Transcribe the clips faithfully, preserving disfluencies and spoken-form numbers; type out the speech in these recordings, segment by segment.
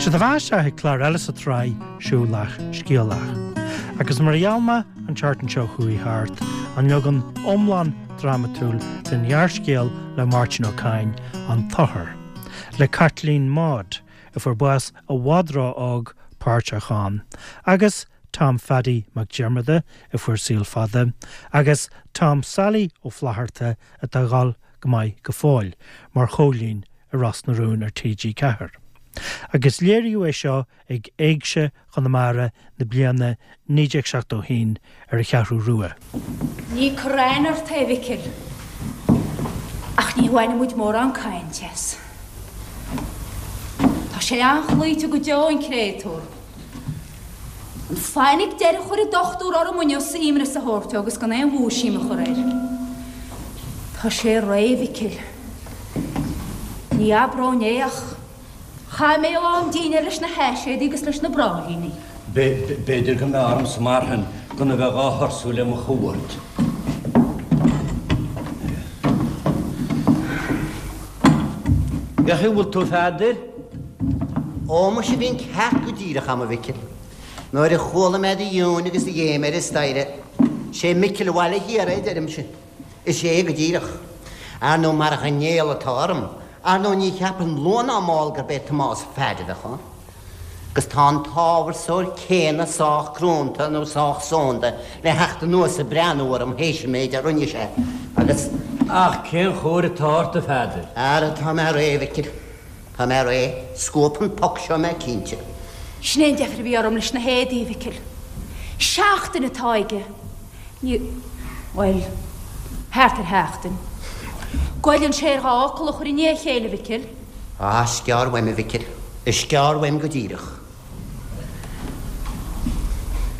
Seo daoibh isteach ag clár eile sa tsraith Siúlach Scéalach. Agus mar a gheall mé an tseachtain seo chuaigh thart, an leagan iomlán drámatúil den ghearrscéal le Máirtín Ó Cadhain An tOthar, le Caitlín Maude a fuair bás i bhfad ró-óg páirteach ann, agus Tom Phaddy Mac Diarmada a fuair saol fada, agus Tom Sailí Ó Flatharta atá ag dul go maith go fóill mar Chóilín i Ros na Rún ar TG Ceathair. Agus léiríodh é seo ag Éigse Chonamara na bliana naoi déag seachtó haon ar an Cheathrú Rua. Ní cur aithne ort é, a Mhicil, ach ní bhaineann muid mórán cainte as. Tá sé an-chloíte go deo, an créatúr. An fainic deiridh a chuir an dochtúir orm inniu imreas a thabhairt dó agus gan aon mhúisiam a chur air. Tá sé réidh, a Mhicil. Ní abróinn é ach chaith mé a lán dinnéir leis na haiséadaí agus leis na bráithríní. B'fhéidir go mb'fhearr ormsa mar shin gan a bheith dhá thursú le mo chuairt. Cén chaoi a bhfuil tú, a Pheadair? Ó, muise, bhí an ceart go díreach a'm, a Mhicil. Nuair a chuala mé do ghiúin agus do ghéim ar an staighre. 'Sé Micil an Bhaile Thiar é, deirimse. Is é go díreach. Ar ndóigh, marach an néal atá orm, ar ndóigh ní cheapfainn luath ná mall gurb é Tomás Pheaid a bheadh ann. Agus tá an t-ábharsóir céanna sách crónta nó sách sónta le theacht anuas ag breathnú orm théis an méid a rinne sé agus. Ach cén chóir atá ort, a Pheadair? Ara, tá mé réidh, a Mhicil. Tá mé réidh. Scuabfaidh an poc seo mé cinnte. Sin é an deifir a bhí orm leis na héadaí, a Mhicil. Seachtain atá aige. Ní, bhuel, thart ar sheachtain. Goilleann sé air dhá fhocal a chur i ndiaidh a chéile, a Mhicil. Á, is gearr uaim, a Mhicil. Is gearr uaim go díreach.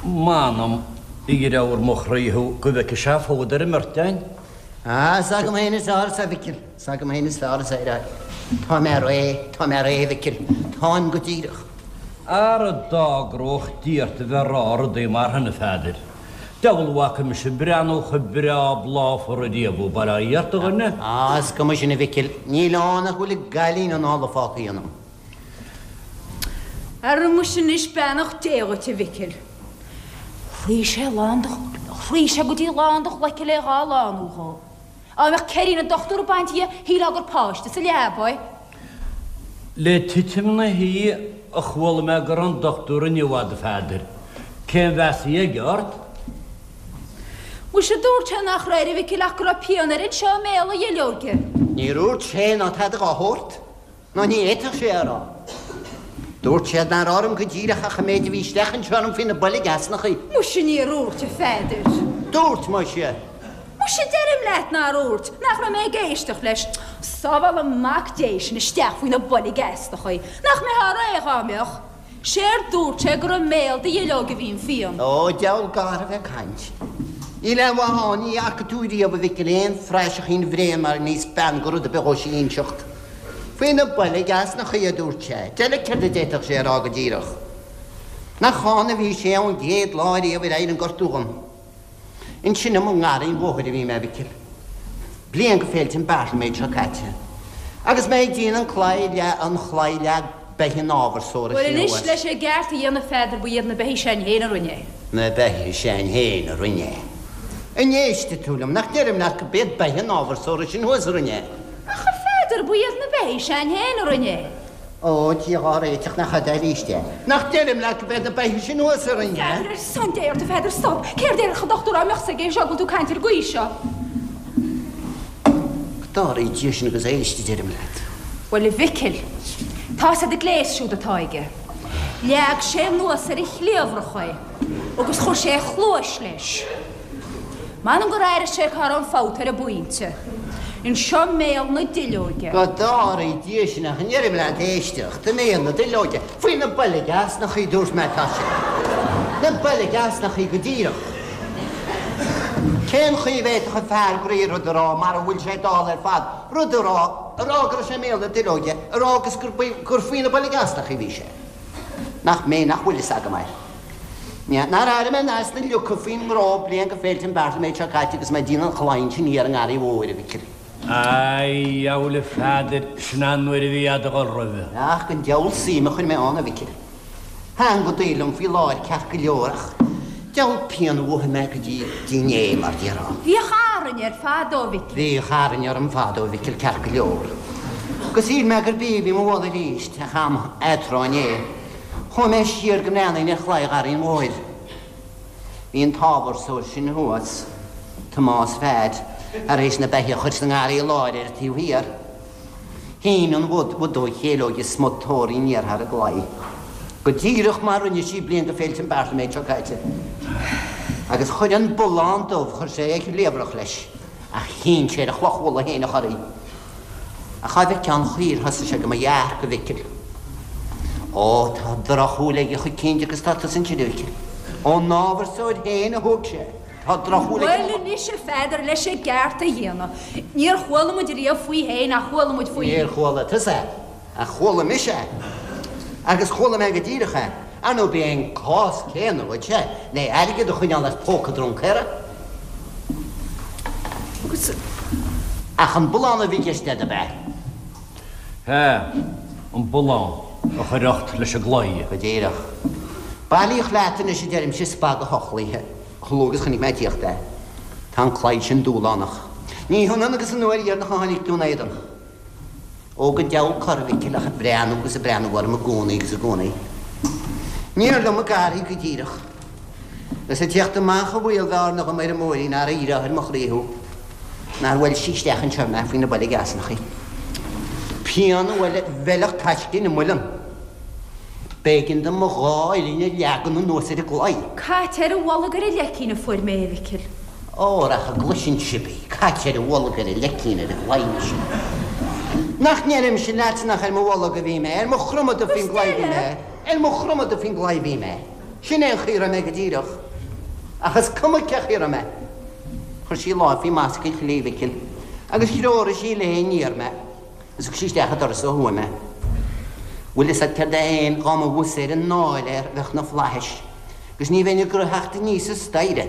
M'anam, a dheartháir mo chroí thú, go bhfeicfidh sé fód ar an mbeirt againn. Á, is agam féin is fearr é, a Mhicil. Is agam féin is fearr é. Tá mé réidh, tá mé réidh, a Mhicil. Táim go díreach. Ara d'agródh Dia ort a bheith ag rá rudaí mar shin, a Pheadair. Diabhal a bhfaca mise breathnú chomh breá bláfar ariamh thú, bail ó Dhia ort, a dhuine. Á, is cuma sin, a Mhicil. Níl ann ach go bhfuil an cailín anála fágtha ionam. Ara muise anois, beannacht Dé dhuit, a Mhicil. Chloígh sé lán do, chloígh sé go dtí lán do ghlaice le dhá lánú dhó. Dá mbeadh ceirín an dochtúra bainte dhe, shílfeá gur páiste sa leaba é. Le titim na hoíche a chuala mé go raibh an dochtúir inniu a'd, a Pheadair. Cén mheas a bhí aige ort? Muise dúirt sé nach raibh air, a Mhicil, ach go raibh pian air anseo i mbéal a dhuilleoige. Níor úirt sé ná tada dhá shórt, ná ní fhéadfadh sé a rá. Dúirt sé nach raibh orm go díreach ach an méid a bhí isteach anseo orm faoi na boilg easnachaí. Muise níor úirt, a Pheadair. Dúirt, muise. Muise deirim leat nár úirt, nach raibh mé ag éisteacht leis. Sábhála Mac Dé sinn isteach faoi na boilg easnachaí. Nach mbeifeá réidh dhá mbeadh? Séard dúirt sé gur i mbéal do dhuilleoige a bhí an phian. Ó, diabhal garbh ag caint. Níl aon mhaith ann, ní fhaca tú riamh, a Mhicil, aon phraiseachín bhréan mar a níos bean go rud ar bith dhó sí inseacht. Faoi na boilg easnachaí, a dúirt sé. Deile céard a d'fhéadfadh sé a rá go díreach? Nach ann a bhí sé ón gcéad lá riamh ar éirigh an gortú dhom. Ansin i mo ngarraí an bhóthair a bhí mé, a Mhicil. Bliain go féilte an Beartlaméid seo caite. Agus mé ag déanamh an claí leag an chlaí leag beithígh an ábharsóra Bhuel sin anois thuas. leis an gceart a dhéanamh a Pheadair ba iad na beithígh s'againn féin a rinne é. Na beithígh s'againn féin a rinne é. An éistfidh tú liom? Nach ndeirim leat go b'iad beithígh an ábharsóra sin thuas a rinne é. Ach a Pheadair ba iad na beithígh s'againn féin a rinne é. Ó, Dia dhá réiteach, nach fhada arís é. Nach ndeirim leat go b'iad na beithígh sin thuas a rinne é. Pheadair, ar son Dé ort, a Pheadair, stop! Céard déarfadh an dochtúir dá mbeadh 's aige é seo go bhfuil tú ag caint ar an gcaoi seo? Go dtarraí Dia sinn agus éist, a deirim leat. Bhuel, a Mhicil, tá's a'd an gléas siúd atá aige. Leag sé anuas ar a chliabhrach é agus chuir sé a chluais leis. M'anam gur airigh sé cá raibh an fabht ar an bpointe. Anseo i mbéal na duilleoige. Go dtarraí Dia sinn ach an ndeirim leat éisteacht, i mbéal na duilleoige, faoi na boilg easnachaí, dúirt mé, tá sé. Na boilg easnachaí go díreach. Cén chaoi a bhféadfadh an fear groí rud a rá mara bhfuil sé dall ar fad, rud a rá, a rá go raibh sé i mbéal na duilleoige, a rá agus gur, gur faoi na boilg easnachaí a bhí sé. Nach mé nach bhfuil fhios agam air. Nár airigh mé an easna fliuchadh faoin ngnó bliain go féilte an Beartlaméid seo caite agus mé ag déanamh an chlaí ansin thiar i nGarraí Mhóir, a Mhicil. A dheabhail a Pheadair, sin an uair a bhí a'd a dhul roimhe. Ach an diabhal suim a chuir mé ann, a Mhicil. Thaitin go daor liom faoi láthair ceart go leor ach diabhal pian a mhothaigh mé go dtí inné, mar déarfá. Bhíodh arraing air fadó, a Mhicil. Bhíodh arraing orm fadó, a Mhicil, ceart go leor. Agus shíl mé gurb í a bhí mo mholadh arís, ach am eatráth inné, chuaigh mé siar go mbreathnaínn ar chlaí Gharraí an Mhóir. Bhí an t-ábharsóir sin thuas, Tomás Pheaid, tar éis na beithígh a chur sa ngarraí láir ar an taobh thiar. Shín an bhudóg chéileoige smut tóraí aniar thar an gclaí, go díreach mar rinne sí bliain go Féilte an Bhartaiméid seo caite. Agus chuir an bullán dubh, chuir sé a chliabhrach leis, ach chinn sé ar a chloch mhullaigh féin a chur. Ach cha bhfeicfeá an chaoi ar thosaigh sé go mo dhearc, a Mhicil. Ó, tá drochshúil aige choicint agus tá tusa ansin, a Mhicil. Ón ábharsóir féin a thóg sé. Tá drochshúil aige. Bhuel anois, a Pheadair, leis an gceart a dhéanamh, níor chuala muid riamh faoi fhéin ach chuala muid faoi. Níor chuala tusa é, ach chuala mise é. Agus chuala mé go díreach é. Ar ndóigh, b'é an cás céanna dhuitse le airgead a choinneáil as póca druncaera. Agus. Ach an bullán a bhí i gceist agat, ab ea? Sea, an bullán a chuir ucht leis an gclaí. Go díreach. Bailíodh leat anois, a deirimse, spag a thochlaithe. Chomh luath agus chonaic mé ag tíocht é. Tá an claí sin dúshlánach. Ní hionann agus an uair dheireanach a tháinig tú in éadan. Ó go diabhal cor, a Mhicil, ach ag breathnú agus ag breathnú orm i gcónaí agus i gcónaí. Níor liom a garraí go díreach. Is ag tíocht amach a bhaol bhearna dhom ar an mbóithrín nár éireodh ar mo chroí thú. Nár bhuail sí isteach anseo mé faoi na boilg easnachaí. Pian a bhuailfeadh taisce ina muileann. B'éigean dom mo dhá uillinn a leagan anuas ar an gclaí. Caite ar a bholg ar an leicín a fuair mé, a Mhicil. Óra, ach a gcloiseann sibh í, caite ar a bholg ar an leicín ar an gclaí anois. Nach ndeirimse leatsa nach ar mo bholg a bhí mé, ar mo chromadh faoin gclaí a bhí mé, ar mo chromadh faoin gclaí a bhí mé. Sin é an chaoi a raibh mé go díreach. Ach is cuma cé chaoi a raibh mé. Chuir sí lámh faoi mhasca an chléibh, a Mhicil, agus threoraigh sí léi aniar mé. Is thug sí isteach an doras ó thuaidh mé. Bhfuil fhios a'd céard é fhéin, dhá mba bhus ar an ndáil air bheadh na flaithis, agus ní bheinn ag rith aníos an staighre,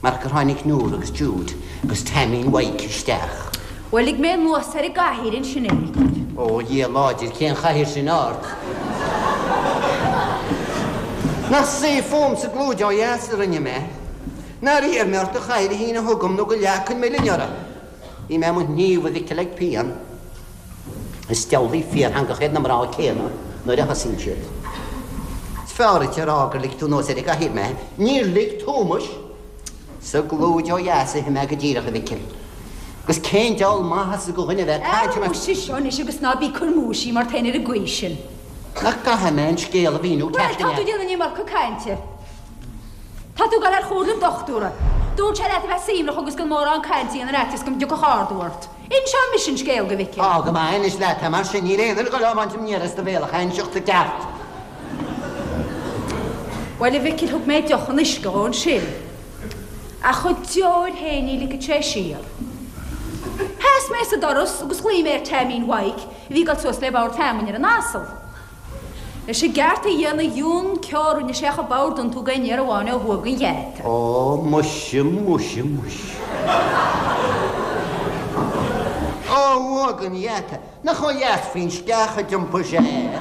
mar gur tháinig Nóra agus Jude agus Taimín Mhaidhc isteach. Bhuel, lig mé anuas ar an gcathaoir ansin é, a Mhicil. Ó, a Dhia láidir, cén chathaoir sin ort? Nach suí fúm sa gclúid ó dheas a rinne mé? Nár iarr mé ort do chathaoir a shíneadh chugam nó go leagfainn m'uillinn uirthi? Bhí mé i mo shníomh, a Mhicil, ag pian. Is diabhlaí fíortheangach iad na mná céanna nuair a thosaíonn siad. Is fearr duit a rá gur lig tú anuas ar an gcathaoir mé. Níor lig tú, muis! Sa gclúid ó dheas a shuigh mé go díreach, a Mhicil. Agus cén diabhal maitheasa do dhuine a bheith ag caint Ara muise seo anois agus ná bí ag cur múisí mar táin ar an gcaoi sin. Nach gcaithfidh mé an scéal a mhíniú Bhuel, ceart tá tú an ea? ag déanamh an iomarca cainte. Tá tú ag dul ar chomhairle an dochtúra. Dúirt sé leat a bheith suaimhneach agus gan mórán cainte a dhéanamh ar fhaitíos go dtiocfadh ardú ort. Inseoidh mise an scéal do Mhicil. Á, go maith, inis leat é, mar sin, níl aon duine ag dul á bhaint aniar as do bhéal ach a inseacht i gceart. Bhuel, a Mhicil, thug mé deoch an uisce dhó ansin. Ach a deoir féin ní ligfeadh sé siar. Sheas mé sa doras agus ghlaoigh mé ar Taimín Mhaidhc, a bhí ag dul suas le bord feamainne ar an asal. Leis an gceart a dhéanamh dheun ceo a rinne sé ach an bord iontú d'aon fhear amháin ó thuaidh den gheata. Ó, muise, muise, muise. Ó thuaidh den gheata. Nach ó dheas faoin sceach a d'iompaigh sé é?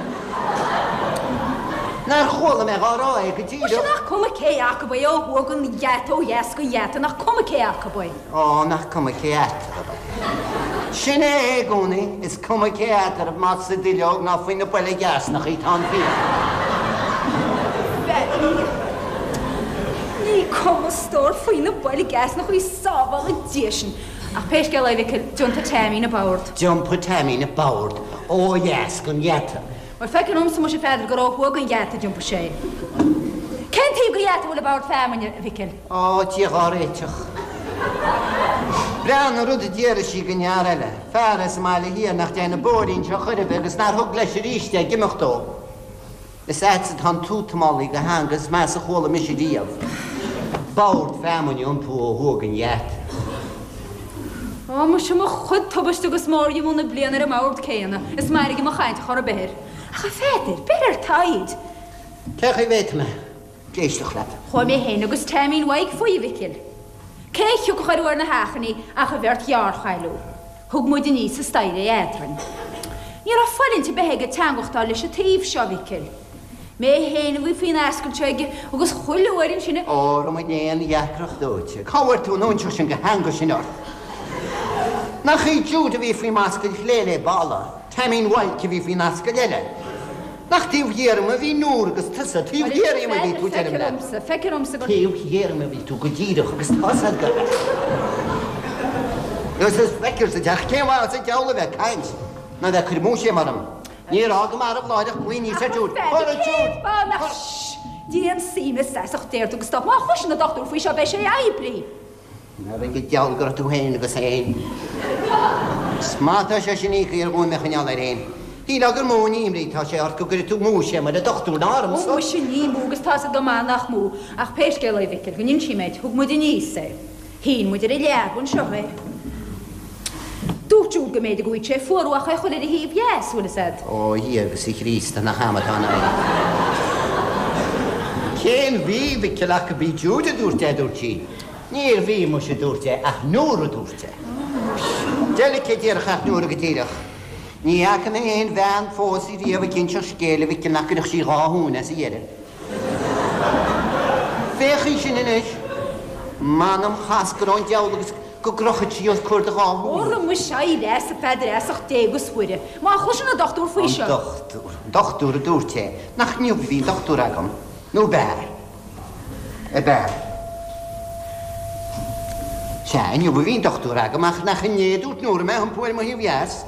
Nár chuala mé dhá rá é go Muise, díreach. nach cuma cé acu é ó thuaidh den gheata, ó dheas den gheata, nach cuma cé acu é. Ó, nach cuma cé eatarthu é. Sin é i gcónaí, is cuma cé eatarthu, más sa duilleog ná faoi na boilg easnachaí tá an fíon. Bhuel, ní cuma a stór faoi na boilg easnachaí sábhála Dia sinn. Ach pé scéal é, a Mhicil, d'iontaigh Taimín an bord. D'iompaigh Taimín an bord ó dheas den gheata. Bhuel, feictear dhomsa muise a Pheadair gur ó thuaidh den gheata a d'iompaigh sé. Cén taobh den gheata a bhfuil an bord feamainne, a Mhicil? Ó, Dia dhá réiteach. Breá an rud a déarfadh sí den fhear eile, fear as an mBaile Thiar nach dtéann an bóithrín seo chor ar bith agus nár thug leis arís é ag imeacht dó. Is a'dsa atá an tútamálaí de theanga is measa a chuala mise riamh. Bord feamainne a iompú ó thuaidh den gheata. Ó, muise mo chuid tubaiste agus mórdhíomá na bliana ar an mbord céanna, is mairg mo chaint chor ar bith air. Ach a Pheadair, beir ar t'fhoighid. Cé chaoi bhféadfaidh mé éisteacht leat? Chuaigh mé féin agus Taimín Mhaidhc faoi, a Mhicil. Cé a thiocfadh ar bharr na hachainí ach an bheirt ghearrchaile. Thug muid aníos an staighre é eadrainn. Ní raibh fóillint ar bith aige teangachtáil leis an taobh seo, a Mhicil. Mé féin a bhí faoin ascaill seo aige agus chuile uair ansin a. Óra mo léan, a dheacracht dóite. Cá bhfuair tú an óinseach sin de theanga sin ort? Nach í Jude a bhí faoi m'ascaill chlé le balla, Taimín Mhaidhc a bhí faoin ascaill eile. Nach taobh thiar dhíom a bhí Nóra agus tusa, taobh thiar dhíom a bhí tú, deirim leat. Feictear dhomsa gur. Taobh thiar dhíom a bhí tú go díreach agus tá's a'd go. Agus is feictear sa teach cén mhaith sa diabhal a bheith ag caint ná bheith ag cur múisiam orm. Níor fhág marbh láithreach glaoigh aníos ar Jude. Óra Jude! Déan suim as ucht Dé ort agus stop. Má chloiseann an dochtúir faoi seo beidh sé oibrithe. Ar ag an diabhal go raibh tú féin agus é féin. Is maith atá sé sin íoctha ar dhóigh mé a choinneáil air féin. Shílfeá gur mó an imní atá sé ort go gcuirfidh tú múisiam ar an dochtúir ná ormsa. Ó muise ní mó agus tá's agat go maith nach mó. Ach pé scéal é a Mhicil, go n-inse mé duit, thug muid aníos é. Shín muid ar an leaba anseo é. Dúirt Jude go mb'fhéidir go bhfaigheadh sé fuarú ach é a chur ar a thaobh dheas, bhfuil fhios a'd. Ó a Dhia agus a Chríost, nach amadán é. Cén mhí, a Mhicil, ach go b'í Jude a dúirt é, a dúirt sí. Níor bhí, muise, a dúirt é, ach Nóra a dúirt é. Deilice a déarfadh ach Nóra go díreach. Ní fhaca mé aon bhean fós riamh ag inseacht scéil, a Mhicil, nach gcuirfeadh sí dhá thóin as a dheireadh. Féach í sin anois. M'anam chas go raibh an diabhal agus go gcrochfadh sí os comhair do dhá shúil. Óra muise, éirigh as, a Pheadair, as ucht Dé agus Mhuire. Má chloiseann an dochtúir faoi seo. An dochtúir, an dochtúir a dúirt é. Nach inniu a bhí an dochtúir agam? Nó b'ea? Ab ea? Sea, inniu a bhí an dochtúir agam, ach nach inné a dúirt Nóra mé a iompú ar mo thaobh dheas?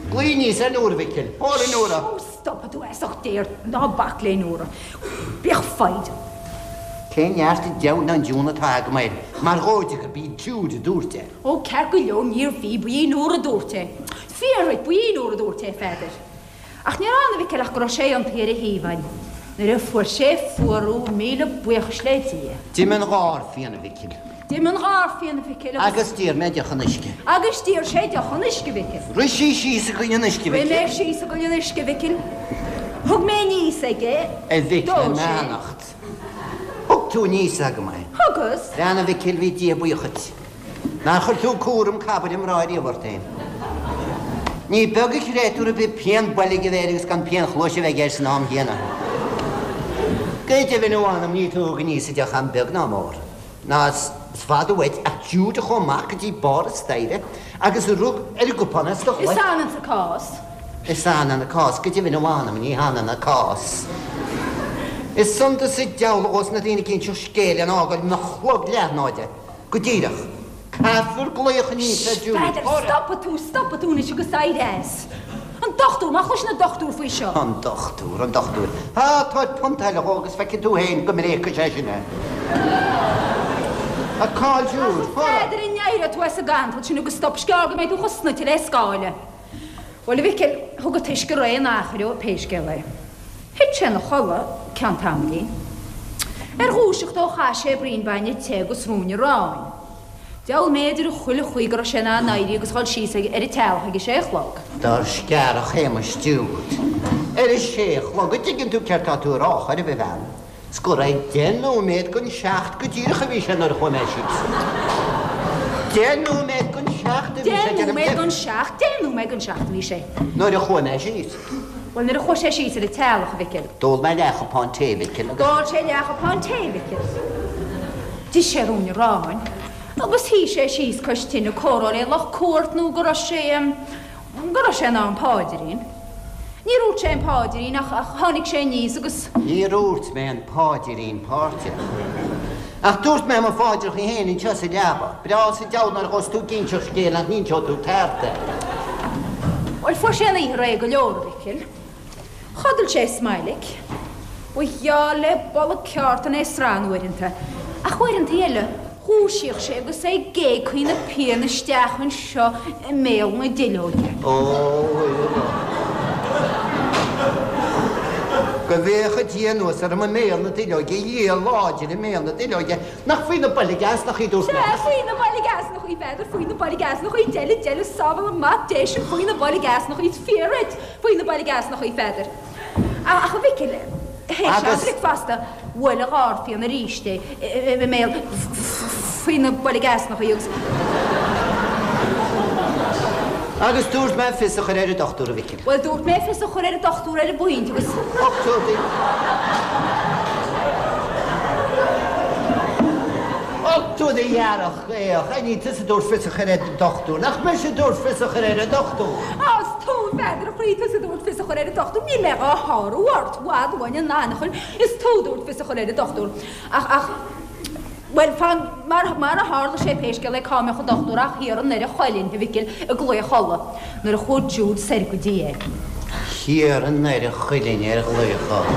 Glaoigh aníos ar Nóra, a Mhicil. Óra, Nóra! Ó, stopfaidh tú as ucht Dé ort, ná bac le Nóra. Bíodh foighid. Cén neart an deabhal ná an diún atá agam air, mar dhóide gurb í Jude a dúirt é. Ó, ceart go leor, níorbh í, ba í Nóra a dúirt é. Fíor dhuit, ba í Nóra a dúirt é, a Pheadair. Ach níor fhan, a Mhicil, ach go raibh sé iontaithe ar a thaobh againn. Nuair a fuair sé fuarú, míle buíochas le Dia. D'imigh an gharphian, a Mhicil. D'imigh an gharphian, a Mhicil, agus. Agus d'iarr mé deoch an uisce. Agus d'iarr sé deoch an uisce, a Mhicil. Rith sí síos i gcoinne an uisce, a Mhicil. Rith mé síos i gcoinne an uisce, a Mhicil. Thug mé aníos aige. A Mhicil, D'ól sé. m'beannacht. Thug tú aníos agam é. Thugas. Bhean a Mhicil, bhí Dia buíoch dhuit. Nár chuir tú cúram cabaire mná riamh ort féin. Ní beag an créatúr ar bith pian boilg a bheith air agus gan pian chluaise a bheith aige san am chéanna. Go deimhin, a mh'anam, ní tú a thug aníos an deoch a'm beag ná mór. Ná is fada uait ach Jude a chuaigh amach go dtí barr an staighre agus a rug ar an gcupán as do Is ghlac. ionann sa cás. Is ionann an cás, go deimhin, a mh'anam, ní hionann an cás. Is iontas sa diabhal dhos na daoine ag inseacht scéil lena fhágáil ina chlog leathnáide. Go díreach. Caithfear glaoch aníos ar Jude. Peadar, stopfaidh tú, stopfaidh tú anois agus éirigh as. An dochtúir, má chloiseann an dochtúir faoi seo. An dochtúir, an dochtúir. Á, tabhair punt eile dhó agus feicfidh tú fhéin go mbréagfaidh sé sin é. A cá'il Jude? Ach, a Pheadair, an n-éireoidh tú as an gcantal sin agus stop, is gearr go mbeidh tú chomh snoite le scáile. Bhuel, a Mhicil, thug an t-uisce réidh in achar dhó, pé scéal é. Thit sé ina chodladh ceann tamaillín. Ar dhúiseacht dó chaith sé braon bainne te agus ruainne aráin. Diabhal m'fhéidir chuile chaoi go raibh sé in ann éirí agus dhul síos ar an teallach ag a sé a chlog. Dár scearach Shéamais Jude. Ar a sé a chlog, an dtuigeann tú céard tá tú a rá chor ar bith, a bhean? 'S go raibh deich nóiméad gon seacht go díreach a bhí sé nuair a chuaigh mé síos. Deich nóiméad gon seacht a bhí sé, Deich deirim nóiméad deich. gon seacht, deich nóiméad gon seacht a bhí sé. Nuair a chuaigh mé síos. Bhuel, nuair a chuaigh sé síos ar an teallach, a Mhicil. D'ól mé leathchupán tae, a Mhicil, agus. D'ól sé leathchupán tae, a Mhicil. D'ith sé ruainne aráin agus shuigh sé síos cois tine ag comhrá le lucht cuairt nó go raibh sé, go raibh sé in ann páidrín. Níor dhúirt sé an páidrín ach, ach tháinig sé aníos agus. Níor dhúirt mé an páidrín páirteach. Ach dúirt mé mo pháidreacha féin anseo sa leaba. Breá sa diabhal nuair a ghabhas tú ag inseacht scéil nach n-inseoidh tú ceart é. Bhuel, fuair sé an oíche réidh go leor, a Mhicil. Chodail sé smailc. Ba gheall le bolg ceártan é sran uaireanta. Ach uaireanta eile, dhúisíodh sé agus é ag géagchaí na pian isteach anseo i mbéal na duilleoige. Ó, Go bhféacha Dia anuas orm i mbéal na duilleoige, a Dhia láidir i mbéal na duilleoige, nach faoi na boilg easnachaí a dúirt mé. Sea, faoi na boilg easnachaí, Pheadair, faoi na boilg easnachaí, deile, deile, sábháil an mac Dé sinn faoi na boilg easnachaí, is fíor dhuit, faoi na boilg easnachaí, Pheadair. Ach, a Mhicil, théis Agus. am bricfeasta, bhuail an gharphian arís é i mbéal faoi na boilg easnachaí agus. Agus dúirt mé fios a chur ar an dochtúir, a Mhicil. Bhuel, dúirt mé fios a chur ar an dochtúir ar an bpointe agus. Dochtúir. Uchtú do dhearg ghaoch, ní tusa a dúirt fios a chur ar an dochtúir, nach mise a dúirt fios a chur ar an dochtúir. Á, is tú, a Pheadair, a chroí, tusa a dúirt fios a chur ar an dochtúir, níl mé dhá shárú ort, i bhfad uainn an anachain, is tú a dúirt fios a chur ar an dochtúir. Ach, ach, bhuel, fan, mar, mar a tharla sé pé scéal é cá mbeadh an dochtúir ach thiar i nDoire Chuilinn, a Mhicil, i gclaí Cholla, nuair a chuaigh Jude soir go dtí é. Thiar i nDoire Chuilinn ar ghlaoch Cholla,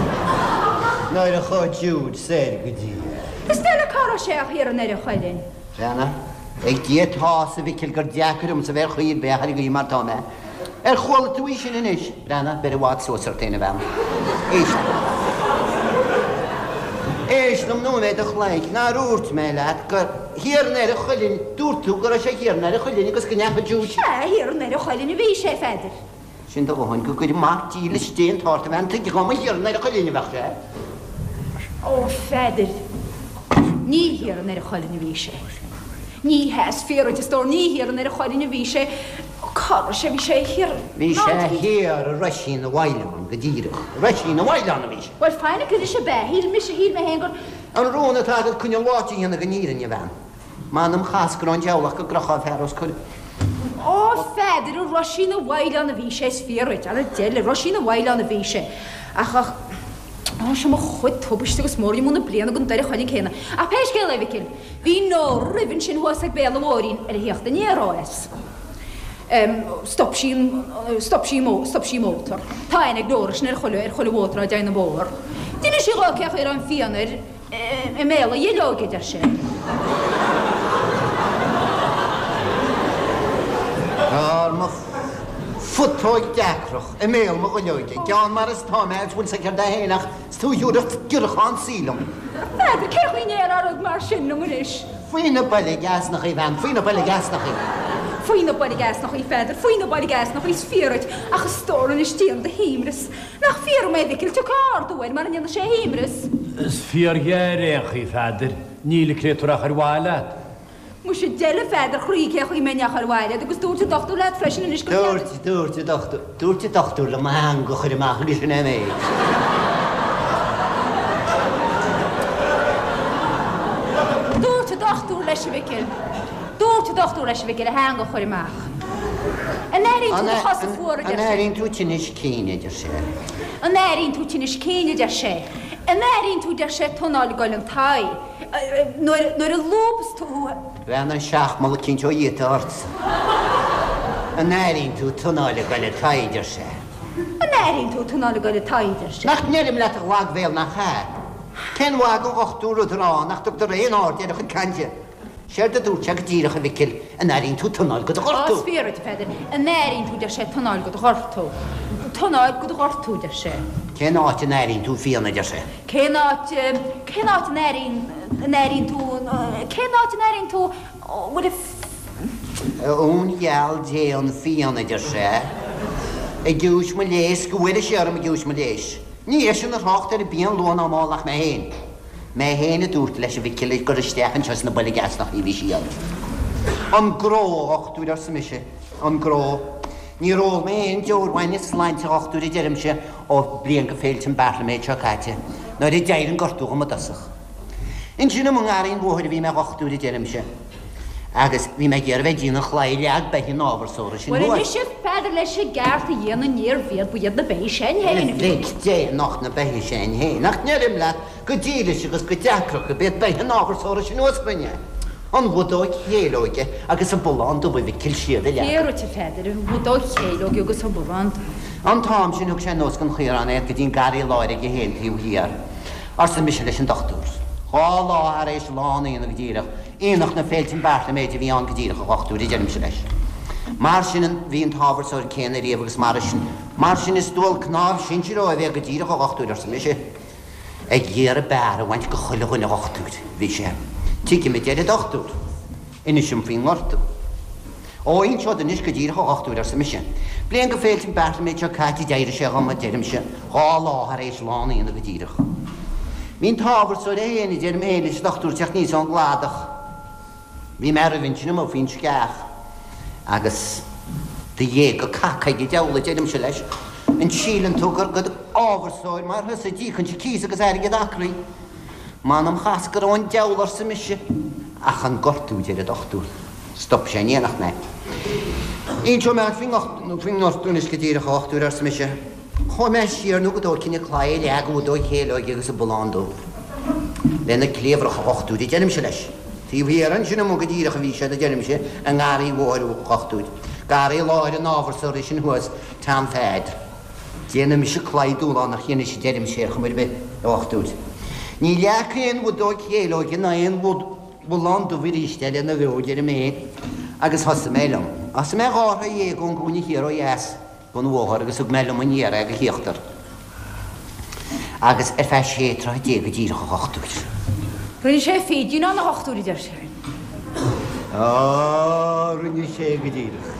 nuair a chuaigh Jude soir go dtí é. Is deile cá raibh sé ach thiar i nDoire Chuilinn. Bheanna, ag Dia atá a Mhicil gur deacair liomsa bheith ar chaoi ar bith ach ar an gcaoi mar tá mé. Ar chuala tú í sin anois? Breathnaigh, beir i bhfad suas ort féin, a bhean. Éist. Éist liom nóiméad a chloig, nár úirt mé leat gur thiar i nDoire Chuilinn, dúirt tú go raibh sé thiar i nDoire Chuilinn agus go ndeachaigh Jude. Sea, thiar i nDoire Chuilinn a bhí sé, a Pheadair. Sin do dhóthain go gcuirfidh mac dílis Dé an t-ort, a bhean, tuige dhá mba thiar i nDoire Chuilinn a bheadh sé. Ó, a Pheadair, ní thiar i nDoire Chuilinn a bhí sé. Ní hea, is fíor duit, a stór, ní thiar i nDoire Chuilinn a bhí sé. Cá raibh sé? Bhí sé thiar. Bhí sé thiar i Roisín na bhFaoileán, go díreach. I Roisín na bhFaoileán a bhí sé. Bhuel, fainic anois ab ea? Shíl mise, shíl mé féin gur. An rún atá agat coinneal bháite a dhéanamh den fhírinne, a bhean. M'anam chas go raibh an diabhal ach go gcrochfá an fear os coir. Ó, a Pheadair, i Roisín na bhFaoileán a bhí sé, is fíor duit. Ara deile, i Roisín na bhFaoileán a bhí sé. Ach, ach, ó, seo mo chuid tubaiste agus mór-iomú na bliana den Doire Chuilinn céanna. Ach pé scéal é, a Mhicil, bhí Nóra roimhe ansin thuas ag béal an bhóithrín ar a theacht aniar ó as. Stop sí an, stop sí an, stop sí an mótar. Tá aithne ag Nóra sin ar chuile, ar chuile mhótar á dtéann an bóthar. D'inis sí dhó cé chaoi a raibh an phian air i mbéal a dhuilleoige, a deir sé. Ar mo phutóig deacrach, i mbéal mo dhuilleoige, gean mar is tá mé agus bhfuil 's aici céard é féin ach is tú a thiúrfadh giorrachán saoil liom. N'fheadar cé chaoi ndéarfá rud mar sin liom anois. Faoi na boilg easnachaí, a bhean, faoi na boilg easnachaí. Faoi na boilg easnachaí, Pheadair, faoi na boilg easnachaí, is fíor duit, ach a stór anois déan do shuaimhneas. Nach fíor dom é, a Mhicil, tiocfaidh ardú air mara ndéana sé a shuaimhneas. Is fíorghéar ar aon chaoi, Pheadair, níl an créatúr ach ar mhaith leat. Muise deile, a Pheadair chroí, cé chaoi mbeinn ach ar mhaith leat, agus dúirt an dochtúir leat freisin anois gur cheart Dúirt, dúirt an dochtúir, dúirt an dochtúir liom mo theanga a chur amach agus sin é an méid. Dúirt an dochtúir leis, a Mhicil, dúirt an dochtúir leis, a Mhicil, a theanga a chur amach. An airíonn tú do chosa fuara, a deir An sé. airíonn tú tinneas cinn, a deir sé. An airíonn tú tinneas cinn, a deir sé. An airíonn tú, deir sé, tonáil ag goil an t-aghaidh, nuair, nuair a lúbas tú. Bhean an seachmall eicínt ó Dhia atá ortsa. An airíonn tú tonáil ag goil an t-aghaidh, a deir sé. An airíonn tú tonáil ag goil an t-aghaidh, a deir sé. Nach ndeirim leat a lagbhéal nach ea? Cén mhaith don dhochtúir rud a rá nach dtugtar aon aird ar a chuid cainte? Séard a dúirt sé go díreach, a Mhicil, an airíonn tú tonáil go do Á, ghortú? is fíor duit, a Pheadair. An airíonn tú, deir sé, tonáil go do ghortú. Tonáil go do ghortú, deir sé. Cén áit a n-airíonn tú phian, a deir sé. Cén áit, cén áit a n-airíonn, a n-airíonn tú, cén áit a n-airíonn tú, bhfuil a. A uain gheal Dé an phian, a deir sé, i gciumhais mo léis, go bhfuaire sé orm i gciumhais mo léis. Ní eisean a thrácht ar an bpian luath ná mall ach mé féin. Mé féin a dúirt leis a Mhicil gur isteach anseo sna boilg easnachaí a bhí sí ann. An gnó, a dhochtúir, arsa mise, an gnó. Níor ól mé aon deoir bhainne sláinte, a dhochtúir, a deirimse, ó bliain go féilte an Beartlaméid seo caite, nuair a d'éirigh an gortú dhom i dtosach. Ansin i ngarraí an bhóthair a bhí mé, a dhochtúir, a deirimse, agus bhí mé ag iarraidh bheith ag déanamh an chlaí a leag beithígh an ábharsóra sin Bhuel thuas. anois a Pheadair leis an gceart a dhéanamh níorbh iad ba iad na beithígh sin féin a bhí. Mhic Dé nach na beithígh sin féin, nach ndeirim leat go dílis agus go deacrach gurb iad beithígh an ábharsóra sin thuas againne, an bhudóig chéileoige agus an bullán dubh a Mhicil siad a leag. Fíor duit a Pheadair, an bhudóig chéileoige agus an bullán dubh. An t-am sin thug sé anuas den chaorán é go dtí an garraí láir aige féin taobh thiar, arsa mise leis an dochtúir. Dhá lá thar éis lá an aonaigh go díreach, aonach na féilte an Beartlaméid a bhí ann go díreach, a dhochtúir, a deirimse leis. Mar sin a bhí an t-ábharsóir céanna riamh agus mar sin, mar sin is dual cnámh sinsir ó a bheith go díreach, a dhochtúir, arsa mise. Ag iarraidh beár a bhaint go chuile dhuine, a dhochtúir, bhí sé. Tuigim, a deir an dochtúir. Inis dom faoin ngortú. Ó, inseod anois go díreach, a dhochtúir, arsa mise. Bliain go féilte an Beartlaméid seo caite d'éirigh sé dhom, a deirimse, dhá lá thar éis lá an aonaigh go díreach. Bhí an t-ábharsóir é féin, a deirim féin leis an dochtúir, teacht aníos ón gcladach. Bhí mé roimhe ansin amuigh faoin sceach agus Do ghéaga caca ag an diabhal, a deirimse leis. An síleann tú gur go ábharsóir mar thusa a d'íocfainnse cíos agus airgead acraí? M'anam chas go raibh an diabhal, arsa mise. Ach an gortú, a deir an dochtúir. Stop sé in éineacht mé. Inseoidh mé faoin ngortú anois go díreach, a dhochtúir, arsa mise. Chuaigh mé siar nó go dtógfainn an claí a leag an bhudóg chéileoige agus an bullán dubh. Lena cliabhrach, a dhochtúir, a deirimse leis. Taobh thiar ansin amuigh go díreach a bhí siad, a deirimse, i ngarraí an bhóthair, a dhochtúir. Garraí láir an ábharsóra sin thuas, Tom Pheaid. Déanfaidh mise claí dúlánach dhe anois, a deirimse, ar chuma ar bith, a dhochtúir. Ní leagfaidh aon bhudóg chéileoige ná aon bhullán dubh arís é lena bheo, a deirim féin, agus thosaigh mé liom. Thosaigh mé dhá throigh dhéag ón gcúinne thiar ó dheas den bhóthar agus thug mé liom aniar é go híochtar. Agus ar feadh sé troithe déag go díreach, a dhochtúir. Rinne sé fidín ann, a dhochtúir, a deir sé. Á, rinne sé go díreach.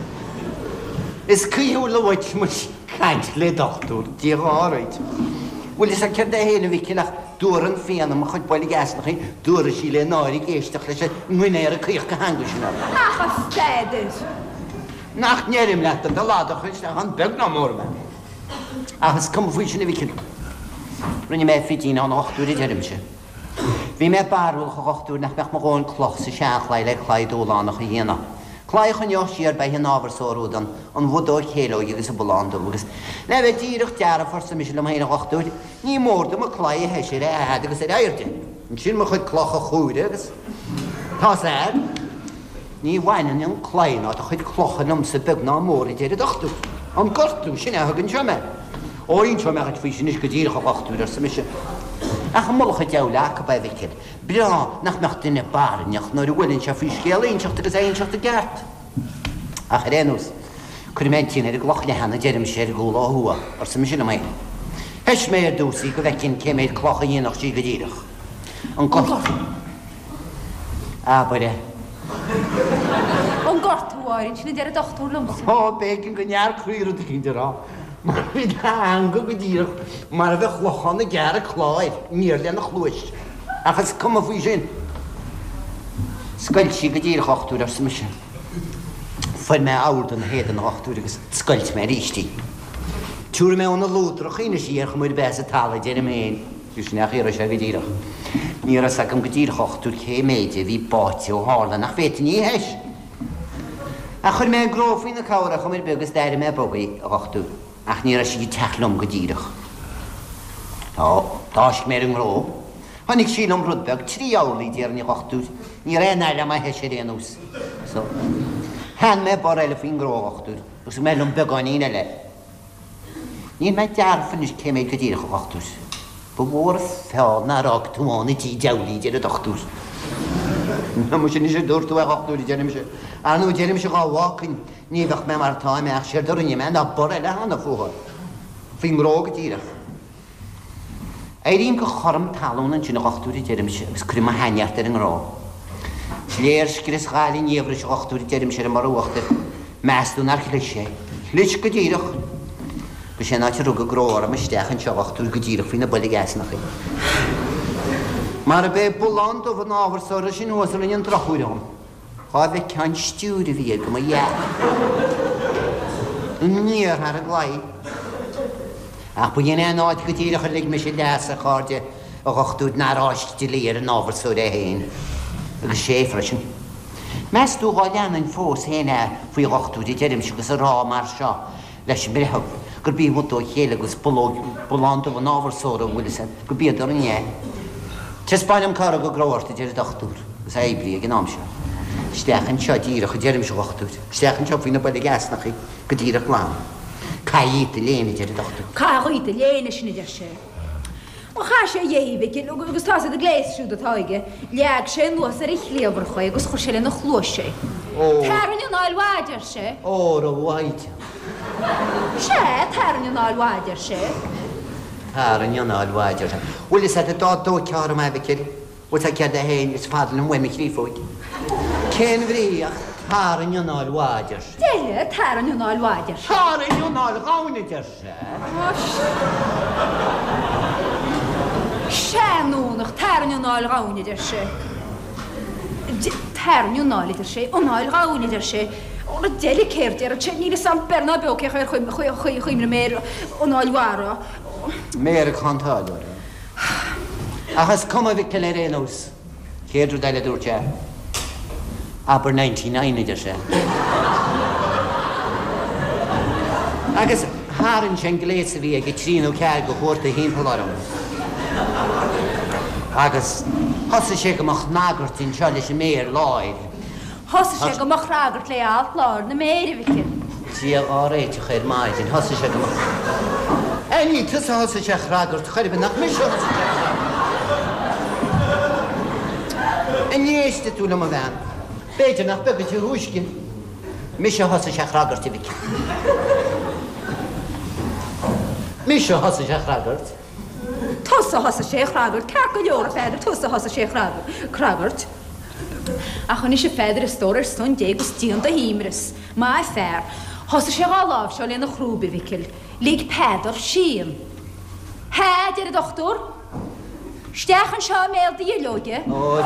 Is caoithiúil uait muis caint le dochtúir, Dia dhá réiteach. Bhfuil fhios agat céard é fhéin, a Mhicil, ach dúrann Fianna mo chuid boilg easnachaí, dúradh sí le náire ag éisteacht leis an nguinéar ag caoch go heangaigh sin orm. Ach a Pheadair! Nach ndeirim leat do lad a chur isteach ann beag ná mór mé. Ach is cuma faoi sin a Mhicil. Rinne mé fidín ann, a dhochtúir, a deirimse. Bhí mé barúlach, a dhochtúir, nach mbeadh mo dhóthain cloch sa seanchlaí le claí dúlánach a dhéanamh. Claí a choinneodh siar beithe an ábharsóra úd, an bhudóg chéileoige agus an bullán dubh agus, le bheith díreach dearfa, arsa mise liom féin, a dhochtúir, ní mór dom an claí a thoiseacht ar a fhad agus ar airde. Ansin mo chuid cloch a chúireamh agus tá's a'd, ní bhaineann an claí ná do chuid clocha liomsa beag ná mór, a deir an dochtúir. An gortú, sin é a thug anseo mé. Ó, inseoidh mé dhuit faoi sin anois go díreach, a dhochtúir, arsa mise. Ach an mullach an diabhail acu é, a Mhicil. Breá nach mbeadh duine barainneach nuair a bhuaileann sé faoi scéal a inseacht agus é a inseacht i gceart. Ach ar aon nós, cuirfidh mé an tine ar an gcloch leathan, a deirimse, ar an gcúl ó thuaidh, arsa mise liom féin. Thois mé ar dtús í go bhfeicfinn cé méid cloch a dhéanfadh sí go díreach. An gortú. Abair é. An gortú, a Árainn, sin a deir an dochtúir liomsa. Ó, b'éigean go ndearcraí rud eicínt a rá. Mar bhí a theanga go díreach mar a bheadh lochán ag gearradh cláir aniar lena chluais. Ach is cuma faoi sin. Scoilt sí go díreach, a dhochtúir, arsa mise. Fuair mé abhar den héadan, a dhochtúir, agus scoilt mé arís í. Tiúrfaidh mé óna luadrach í anois í ar chuma ar bith as an talamh, deirim féin. Bhí sin ach iarraidh sé go díreach. Ní raibh 'fhios agam go díreach, a dhochtúir, cé méid a bhí báite ó tharla nach bhféadfainn í a thois. Ach chuir mé an gnó faoina cabhair ar chuma ar bith agus d'airigh mé bog í, a dhochtúir. Ach ní raibh sí ag teacht liom go díreach. Ó, d'fháisc mé ar an ngnó. Tháinig sí liom rud beag, trí orlaí, déarfainn, a dhochtúir. Ní raibh aon fhaille agam á thois ar aon nós. So, theann mé bor eile faoin ngnó, a dhochtúir, agus thug mé liom beagáinín eile. Níl mé dearfa anois cé méid go díreach, a dhochtúir. Ba mhór an feall nár fhág tú ann i dtigh diabhail í, a deir an dochtúir. Muise anois a dúirt tú, a dhochtúir, a deirimse. Ar ndóigh, deirimse dhá bhfágfainn, ní bheadh mé mar atá mé ach séard a rinne mé ná bor eile a theannadh fúthu. Faoin ngnó go díreach. Éirím go chothrom talún ansin, a dhochtúir, a deirimse, agus cuirim mo sheanneart ar an ngnó. Is léir scrios ghail an fhiabhrais, a dhochtúir, a deirimse, ar an mbor uachtair. Meas tú nár chlis é? Chlis go díreach. Agus sé an áit a rug an gnó orm isteach anseo, a dhochtúir, go díreach faoi na boilg easnachaí. Mar ab é bullán dubh an ábharsóra sin thuas a rinne an drochuair dhom. Dhá bhfeictheá an stiúir a bhí air go mba dhea. Aniar thar an gclaí. Ach ba shin é an áit go díreach a lig mise leas, a chairde, a dhochtúir, nár fháisc dlí ar an ábharsóir é féin. Agus sé freisin. Meas tú dhá leanfainn fós féin é faoi dhochtúir, a deirimse, agus a rá mar seo leis an mbreitheamh, gurb í an bhudóg chéileoige agus bullán dubh an ábharsóra, an bhfuil fhios a'd, gurb iad a rinne é. Taispeáin dom cá rug an gnó ort, a deir an dochtúir, agus é oibrithe ag an am seo. Isteach anseo díreach, a deirimse, a dhochtúir. Isteach anseo faoi na boilg easnachaí, go díreach glan. Caith dhíot do léine, a deir an dochtúir. Caith dhíot do léine, sin a deir sé. Ó chaith sé dhéi, a Mhicil, agus tá's a'd an gléas siúd atá aige, leag sé anuas ar a chliabhrach é agus chuir sé lena chluais é. Ó. Tarraing anáil mhaith, a deir sé. Óra mhaighdean. Sea, tarraing anáil mhaith, a deir sé. Tarraing anáil mhaith, a deir sé. Bhfuil fhios a'd dá dtóigtheá orm é, a Mhicil, bhfuil fhios a'd céard é féin, is fada liom uaim mo chriofóig. Cén bhrí ach tarraing anáil mhaith, a deir sé. Deile, tarraing anáil mhaith, a deir sé. Tarraing anáil dhomhain, a deir sé. Seanúnach, tarraing anáil dhomhain, a deir sé. Tarraing anáil, a deir sé, anáil dhomhain, a deir sé. Ó, na deile céard déarfadh sé, níl fhios a'm beir ná beo cé chaoi ar chuimhnigh mé ar anáil mhara. Méar ag cantáil orthu. Ach is cuma a Mhicil ar aon nós. Chéad rud eile a dúirt sé, Abair ninety nine, a deir sé. Agus tharraing sé an gléas a bhí aige trí nó ceathair de chuarta thimpeall orm. Agus thosaigh sé go mo chnagairt anseo leis an méar láir. Thosaigh sé go mo chnagairt le alt láir na méire, a Mhicil. Dia á réiteach ar maidin, thosaigh sé go mo. Á ní tusa a thosaigh sé a chnagairt chor ar bith, nach mise a thosaigh sé a chnagairt. An éistfidh tú liom, a bhean? B'fhéidir nach beag an túisce. Mise a thosaigh sé a chnagairt, a Mhicil. Mise a thosaigh sé a chnagairt. Tusa a thosaigh sé a chnagairt, ceart go leor, a Pheadair, tusa a thosaigh sé a chnagairt. Ach anois, a Pheadair, a stór, ar son Dé agus déan do shuaimhneas. Maith fear. Thosaigh sé dhá láimhseáil lena chrúib, a Mhicil. Lig Peadar síon. Hea, a deir an dochtúir. Isteach anseo i mbéal do dhuilleoige. Ó,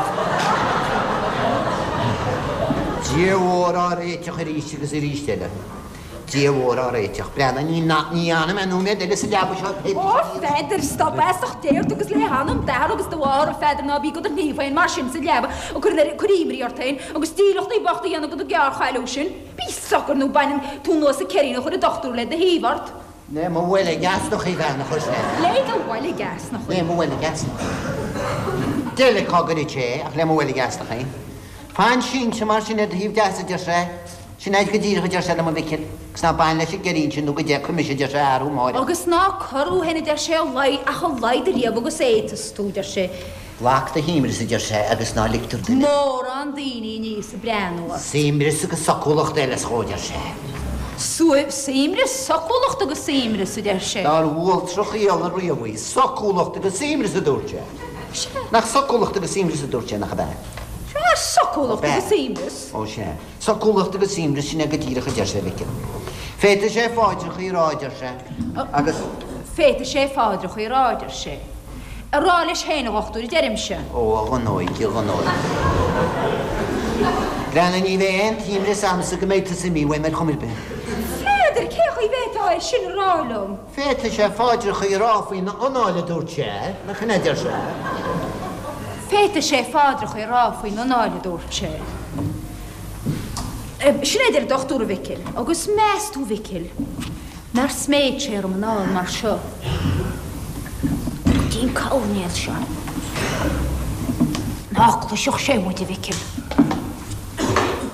Dia mhór á réiteach arís agus arís eile. Dia mhór á réiteach. Breathnaigh, ní ní fhanfaidh mé nóiméad eile sa leaba seo pé Ó, a Pheadair, stop feasach deir tú agus le hanam d'athar agus do mháthar, a Pheadair, ná bí go do shní féin mar sin sa leaba ag cur ag cur imní ort féin agus dílleachtaí bochta a dhéanamh de do ghearrchailliú sin. Bí socair nó bainfidh tú anuas an ceirín a chuir an dochtúir le do thaobh ort. Le mo bhoilg easnachaí, a bhean, a chuir sé. Le do bhoilg easnachaí. Le mo bhoilg easnachaí. Deile cá gcuirfeadh sé é ach le mo bhoilg easnachaí. Fan sínte mar sin ar do thaobh deas, a deir sé. Sin é go díreach, a deir sé liom, a Mhicil, agus ná bain leis an gceirín sin nó go dtí mise, a deir sé, athrú amárach. Agus ná cur thú féin, a deir sé, a laghad, ach a laghad ariamh agus fhéadfas tú, a deir sé. Glac do shuaimhneas, a deir sé, agus ná ligtear duine. Mórán daoine aníos ag breathnú ort. Suaimhneas agus socúlacht eile is dhó, a deir sé. Suaimhneas, socúlacht agus suaimhneas, a deir sé. Nár bhualtrach fhiala riamh í. Socúlacht agus suaimhneas, a dúirt sé. Sea. Nach socúlacht agus suaimhneas a dúirt sé, nach ab ea? Sea, socúlacht agus suaimhneas. Ó, sea. Socúlacht agus suaimhneas, sin é go díreach, a deir sé, a Mhicil. Féadfaidh sé pháidreachaí a rá, a deir sé, agus. Féadfaidh sé pháidreachaí a rá, a deir sé. A rá leis féin, a dhochtúir, a deirimse. Ó, a dhonóig, a dhonóig. Breathnaigh, ní bheidh aon tsuaimhneas a'msa go mbeidh tusa imithe uaim ar chuma ar bith. Pheadair, cé chaoi bhféadfá é sin a rá liom? Féadfaidh sé pháidreachaí a rá faoina anáil, a dúirt sé, nach in é a deir sé? Féadfaidh sé pháidreachaí a rá faoina anáil, a dúirt sé. Sin é a deir an dochtúir, a Mhicil. Agus meas tú, a Mhicil, nár sméid sé orm anall mar seo go dtí an coirnéal seo? Ná cloisfeadh sé muid, a Mhicil.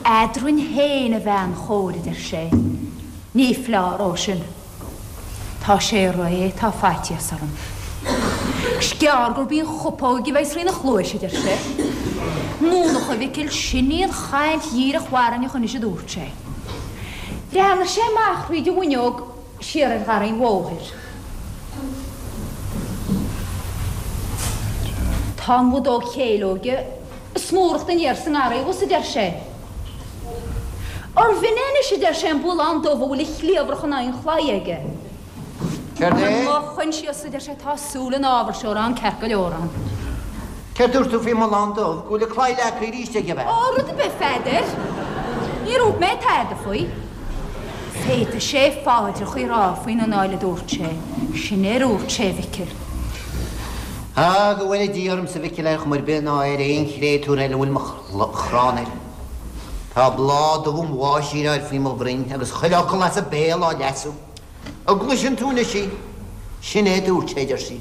Eadrainn féin, a bhean chóir, a deir sé, ní foláir ó sin. Tá sé réidh, tá faitíos orm. 'S gearr gurb í an chupóg a bheas thrína chluais, a deir sé. Múnach, a Mhicil, sin í an chaint dhíreach bharainneach anois, a dúirt sé. Bhreathnaigh sé amach thríd an bhfuinneog siar ar gharraí an bhóthair. Tá an bhodóg chéileoige ag smúracht aniar sa ngarraí abhus, a deir sé. Arbh in é anois, a deir sé, an bualán dubh a bhfuil a chliabhrach in aghaidh an chlaí aige? Céard é? Mo choinsias, a deir sé, tá súil an ábhairseora ann ceart go leor ann. Céard dúirt tú faoin mbualán dubh? Go bhfuil an claí leagtha arís aige, ab ea? Ó, rud ar bith, a Pheadair. Níor dhúirt mé tada faoi. Féadfaidh sé pháidreachaí a rá faoina anáil, a dúirt sé. Sin é a dúirt sé, a Mhicil. Á, go bhfóire Dia ormsa, a Mhicil, ar chuma ar bith ná ar aon chréatúr eile a bhfuil mo chrann air. Tá bláth dubh an bháis á fhear faoi mo bhroinn agus chuile fhocal as a béal á leasú. An gcloiseann tú anois í? Sin é a dúirt sé, a deir sí.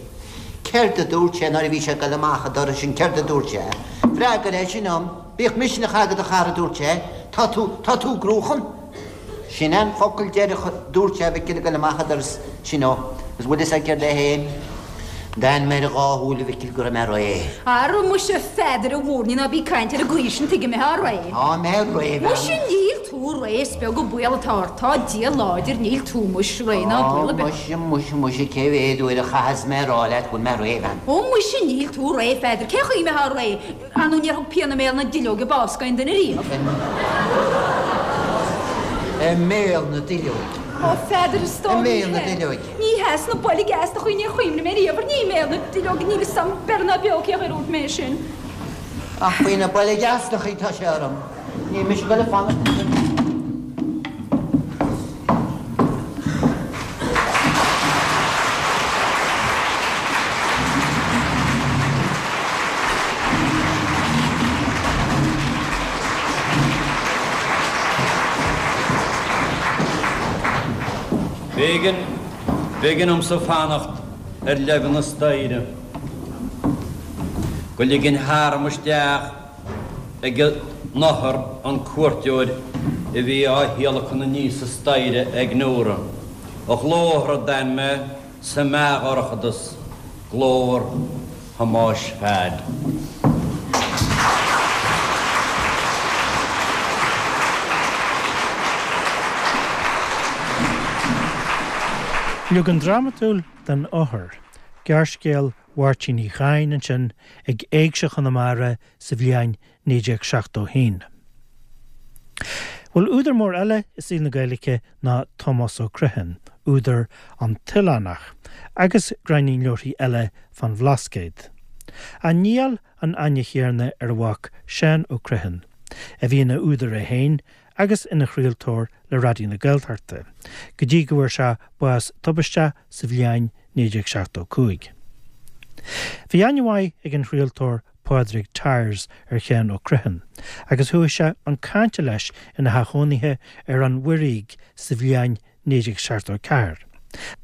Céard a dúirt sé nuair a bhí sé ag dul amach an doras sin, céard a dúirt sé? Freagair é sin dom. Bíodh misneach agat, a chara, a dúirt sé. Tá tú, tá tú i gcruachan. Sin é an focal deireadh a dúirt sé, a Mhicil, ag dul amach an doras sin ó. Agus bhfuil fhios agat céard é féin? D'ainm ar a dhá shúil, a Mhicil, go raibh mé réidh. Ara muise, a Pheadair, a mhúirnín, ná bí ag caint ar an gcaoi sin, tuige go mbeifeá réidh. Tá mé réidh, a bhean. Muise, níl tú réidh, is beag an baol atá ort, tá Dia láidir, níl tú, muis, réidh ná baol ar bith. Ó, muise, muise, muise, cé mhéad uair a chaithfeas mé a rá leat go bhfuil mé réidh, a bhean. Ó, muise, níl tú réidh, a Pheadair, cén chaoi a mbeifeá réidh, ar ndóigh níor thug pian i mbéal na duilleoige bás d'aon duine riamh. I mbéal na duilleoige. Ó, a Pheadair, a stór, I mbéal ní na hea. duilleoige. Ní hea, sna boilg easnachaí níor chuimhnigh mé riamh ar ní i mbéal na duilleoige, níl fhios a'm beir ná beo cé chaoi ar dhúirt mé sin. Ach faoi na boilg easnachaí tá sé orm. Níl mise ag dul ag fanacht ansin. B'éigean, b'éigean domsa fanacht ar leibhéal na staighre go ligfinn tharam isteach ag an othar an cuairteoir a bhí á thíolacan aníos an staighre ag Nóra. A ghlór a d'fhan mé sa meathdhorchadas, glór Thomáis Pheaid. Leagan drámatúil den Othar, gearrscéal Mháirtín Uí Chadhain ansin ag Éigse Chonamara sa bhliain naoi déag seachtó haon. Bhuel, údar mór eile i saol na Gaeilge ná Tomás Ó Criomhthain, údar An tOileánach, agus gráinnín leabharthaí eile fán Bhlascaod. Ach níl an aithne chéanna ar a mhac Seán Ó Criomhthain, a bhí ina údar é féin agus ina chraoltóir le Raidió na Gaeltachta, go dtí go bhfuair sé bás tubaisteach sa bhliain naoi déag seachtó cúig. Bhí aithne mhaith ag an chraoltóir Pádraig Tyers ar Sheán Ó Criomhthain, agus chuaigh sé chun cainte leis ina theach cónaithe ar an Mhuirígh sa bhliain naoi déag seachtó ceathair,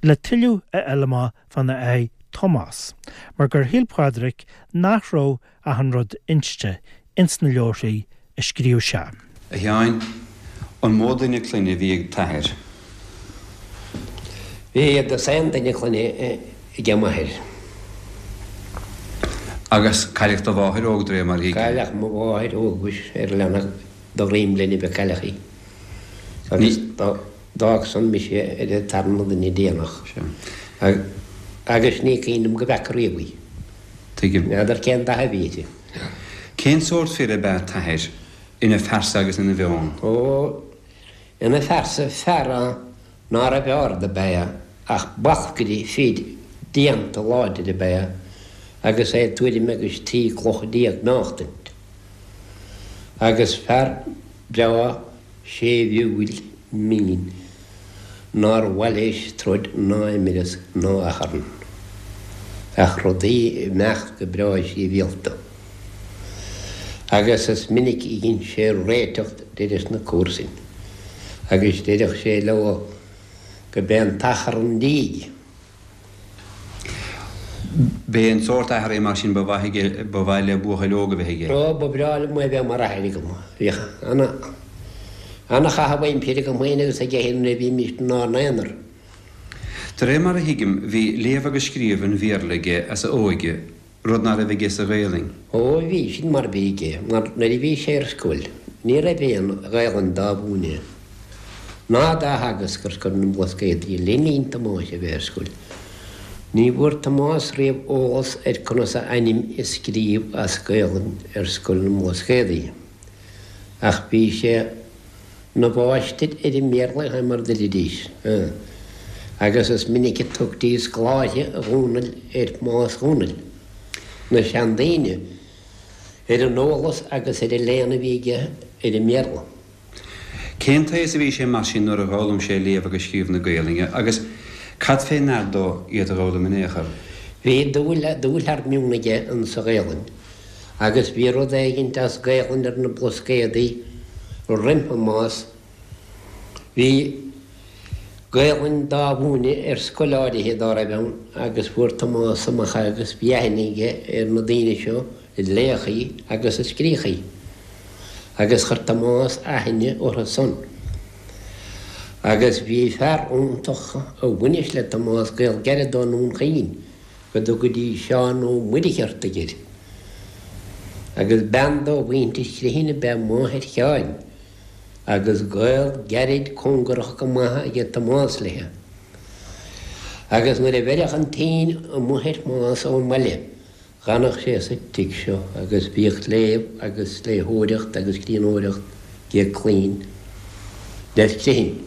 le tuilleadh a fháil amach fána athair Tomás, mar gur shíl Pádraig nach raibh achan rud inste ins na leabharthaí a scríobh sé. A Sheáin, an mó duine clainne a bhí ag t'athair? Bhí dosaen duine clainne ag m'athair. Agus cailleadh do mháthair óg de réir mar a thuigim. Cailleadh mo mháthair óg mhuis ar leanbh do dhroim linn a cailleadh í. Agus d'fhág san mise ar an tarna duine déanach. Agus ní cuimhin liom go bhfeaca riamh í. Tuigim. N'fheadar cén dath a bhí uirthi. Cén sórt fir ab ea t'athair, ina phearsa agus ina mheon? Ó, ina phearsa fear ná raibh ard ab ea ach balcaire fir déanta láidir ab ea agus é tuairim agus trí cloch déag meáchtaint. Agus fear breá séimhiúil mín nár mhaith leis troid ná imreas ná achrann, ach rudaí imeacht go breá sibhialta. Agus is minic a dhein sé réiteach deireadh na comharsain, agus deireadh sé leo go b'é an t-achrann díg. B'é an sórt athar é mar sin ba mhaith aige, ba mhaith le buachaill óg a bheith aige. Ó, ba bhreá liom é bheith mar athair agam. Bhíodh ana, ana-chaitheamh aimsire agam féin agus aige féin nuair a bhímis inár n-aonar. De réir mar a thuigim, bhí léamh agus scríobh an Bhéarla aige as a óige, rud ná raibh aige sa Ghaelainn. Ó, bhí, sin mar a bhí aige, mar nuair a bhí sé ar scoil, ní raibh aon Ghaelainn dá mhúineadh, ná dá theagasc ar scoil na mBlascaodaí le linn Thomáis a bheith ar scoil. Ní bhfuair Tomás riamh eolas ar conas a ainm a scríobh as Gaelainn ar scoil na mBlascaodaí, ach bhí sé ina mháistir ar an mBéarla mar deiridís, agus is minic a tugtaí scoláire Dhónaill ar Thomás Dhónaill, na seandaoine, ar an eolas agus ar an léann a bhí aige ar an mBéarla. Cén t-aos a bhí sé mar sin nuair a d'fhoghlaim sé léamh agus scríobh na Gaelainne agus cad fé ndear dó iad a dh'fhoghlaim in aon chor? Bhí dúil, dúil thar meon aige insa Ghaelainn agus bhí rud éigint as Gaelainn ar na Blascaodaí roimh Thomás. Bhí Gaelainn dá mhúineadh ar scoil áirithe dá raibh ann agus fuair Tomás amach agus bhí aithne aige ar na daoine seo a léadh í agus a scríodh í. Agus chuir Tomás aithne orthu san. Agus bhí fear iontach a bhainis le Tomás gaol gairid dó i nDún Chaoin, go dtugaidís Seán Ó Muircheartaigh air. Agus bean dó mhuintir Chriomhthain ab ea máthair Sheáin, agus gaol gairid cóngarach go maith aige Tomás léi. Agus nuair a bheireadh an tine amuigh ar Thomás ón mbaile, d'fhanadh sé sa tigh seo agus bhíodh léamh agus léitheoireacht agus scríbhneoireacht ag clainn le Criomhthain.